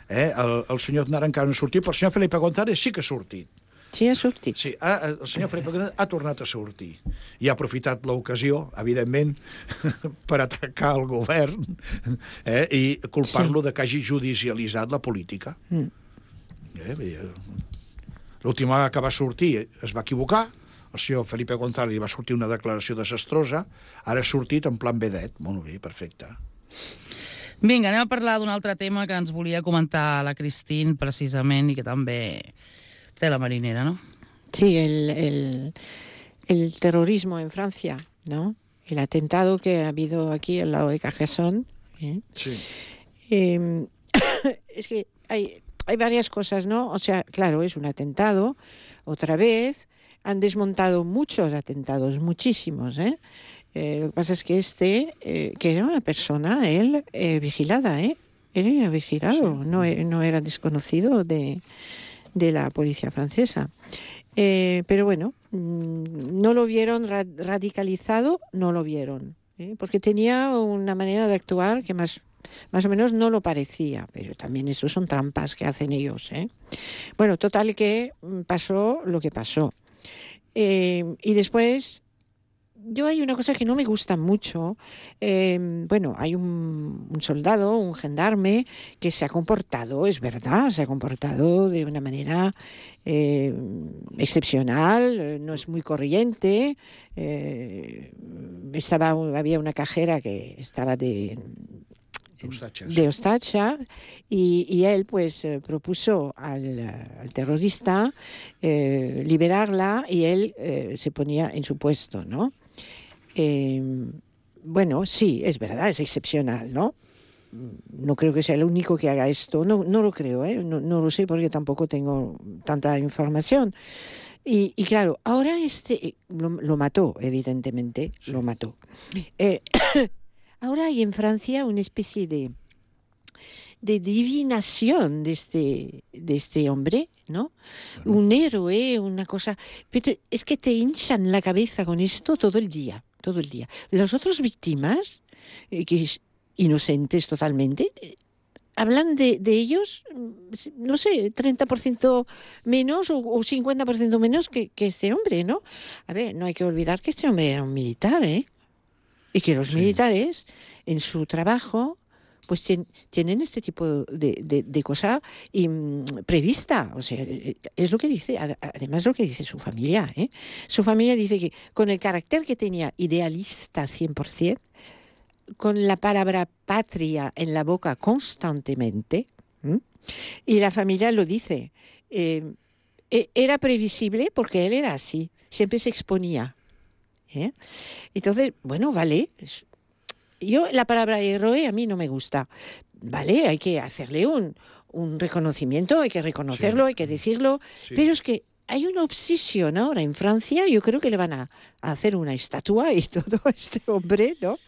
Speaker 4: Eh? El, el senyor Aznar encara no ha sortit, però el senyor Felipe González sí que ha sortit.
Speaker 3: Sí, ha sortit.
Speaker 4: Sí, ha, el senyor Felipe González ha tornat a sortir. I ha aprofitat l'ocasió, evidentment, per atacar el govern eh? i culpar-lo
Speaker 3: Sí.
Speaker 4: de que hagi judicialitzat la política.
Speaker 3: Mm.
Speaker 4: Eh? Vull dir, L'última vegada que va sortir es va equivocar, el senyor Felipe González li va sortir una declaració desastrosa, ara ha sortit en plan vedet. Molt bé, perfecte.
Speaker 2: Vinga, anem a parlar d'un altre tema que ens volia comentar la Christine, precisament, i que també té la marinera, ¿no?
Speaker 3: Sí, el, el, el terrorismo en Francia, ¿no? El atentado que ha habido aquí al lado de Carcassonne. ¿eh?
Speaker 4: Sí.
Speaker 3: Eh, es que hay, hay varias cosas, ¿no? O sea, claro, es un atentado, otra vez. Han desmontado muchos atentados, muchísimos, ¿eh? Eh, lo que pasa es que este, eh, que era una persona, él, eh, vigilada, ¿eh? Él era vigilado, sí. no, no era desconocido de, de la policía francesa. Eh, pero bueno, no lo vieron ra radicalizado, no lo vieron, ¿eh? Porque tenía una manera de actuar que más, más o menos no lo parecía, pero también eso son trampas que hacen ellos, ¿eh? Bueno, total que pasó lo que pasó. Eh, y después, yo hay una cosa que no me gusta mucho. Eh, bueno, hay un, un soldado, un gendarme, que se ha comportado, es verdad, se ha comportado de una manera eh, excepcional, no es muy corriente. Eh, estaba, había una cajera que estaba de... de Ostatxa, y, y él pues eh, propuso al, al terrorista eh, liberarla y él eh, se ponía en su puesto, ¿no? Eh, bueno, sí, es verdad, es excepcional, ¿no? No creo que sea el único que haga esto, no, no lo creo, ¿eh? no, no lo sé porque tampoco tengo tanta información. Y, y claro, ahora este lo, lo mató, evidentemente, sí. lo mató. Eh, Ahora hay en Francia una especie de, de divinación de este, de este hombre, ¿no? Bueno. Un héroe, una cosa... Pero es que te hinchan la cabeza con esto todo el día, todo el día. Las otras víctimas, eh, que es inocentes totalmente, eh, hablan de, de ellos, no sé, treinta por ciento menos o, o cincuenta por ciento menos que, que este hombre, ¿no? A ver, no hay que olvidar que este hombre era un militar, ¿eh? Y que los sí. militares, en su trabajo, pues tien, tienen este tipo de, de, de cosa y, um, prevista. O sea, es lo que dice, además lo que dice su familia, ¿eh? Su familia dice que con el carácter que tenía idealista cien por ciento, con la palabra patria en la boca constantemente, ¿eh? Y la familia lo dice, eh, era previsible porque él era así, siempre se exponía. ¿Eh? Entonces, bueno, vale. Yo la palabra héroe a mí no me gusta. Vale, hay que hacerle un, un reconocimiento, hay que reconocerlo, sí. hay que decirlo. Sí. Pero es que hay una obsesión ahora en Francia, yo creo que le van a, a hacer una estatua y todo a este hombre, ¿no?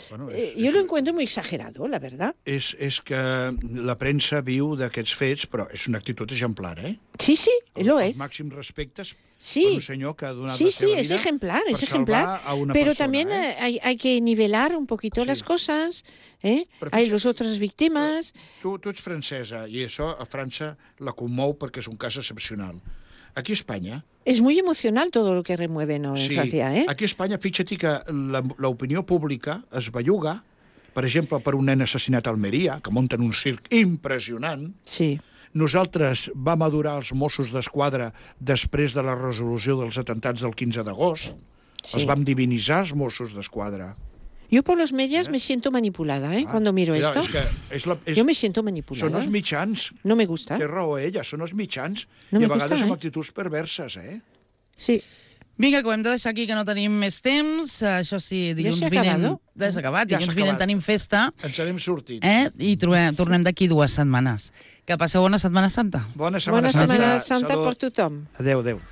Speaker 3: Bueno, és, eh, jo és, lo encuentro muy exagerado, la verdad.
Speaker 4: És, és que la premsa viu d'aquests fets, però és una actitud exemplar, eh?
Speaker 3: Sí, sí,
Speaker 4: el,
Speaker 3: lo
Speaker 4: els
Speaker 3: es.
Speaker 4: Els màxims respectes
Speaker 3: sí.
Speaker 4: per un senyor que ha donat
Speaker 3: sí,
Speaker 4: la seva
Speaker 3: sí,
Speaker 4: vida
Speaker 3: es ejemplar,
Speaker 4: per
Speaker 3: es ejemplar.
Speaker 4: A una
Speaker 3: pero
Speaker 4: persona,
Speaker 3: también
Speaker 4: eh?
Speaker 3: hay, hay que nivelar un poquito sí. las cosas, ¿eh? Hay los otras víctimas.
Speaker 4: Tu, tu ets francesa i això a França la commou perquè és un cas excepcional. Aquí a Espanya...
Speaker 3: Es muy emocional todo lo que remueve, ¿no? En
Speaker 4: sí,
Speaker 3: Francia, ¿eh?
Speaker 4: Aquí a Espanya, fíjate que l'opinió pública es belluga, per exemple, per un nen assassinat a Almeria, que munten un circ impressionant.
Speaker 3: Sí.
Speaker 4: Nosaltres vam adorar els Mossos d'Esquadra després de la resolució dels atemptats del quinze d'agost. Sí. Els vam divinitzar, els Mossos d'Esquadra.
Speaker 3: Yo por los medios ¿Eh? me siento manipulada, ¿eh? Ah, Cuando miro
Speaker 4: mira,
Speaker 3: esto.
Speaker 4: És que és la, és,
Speaker 3: Yo me siento manipulada.
Speaker 4: Són els mitjans.
Speaker 3: No me gusta.
Speaker 4: Té raó ella, són els mitjans.
Speaker 3: No
Speaker 4: I a vegades
Speaker 3: gusta,
Speaker 4: amb
Speaker 3: eh?
Speaker 4: actituds perverses, eh?
Speaker 3: Sí.
Speaker 2: Vinga, que ho hem de deixar aquí, que no tenim més temps. Això sí, dilluns
Speaker 3: ja
Speaker 2: vinent... Ja s'ha acabat.
Speaker 4: Ja
Speaker 2: dilluns
Speaker 4: acabat.
Speaker 2: vinent tenim festa.
Speaker 4: Ens n'hem sortit.
Speaker 2: Eh? I trobem, tornem d'aquí dues setmanes. Que passeu bona Setmana Santa.
Speaker 4: Bona Setmana
Speaker 3: bona
Speaker 4: Santa.
Speaker 3: Setmana Santa per tothom.
Speaker 4: Adéu, adéu.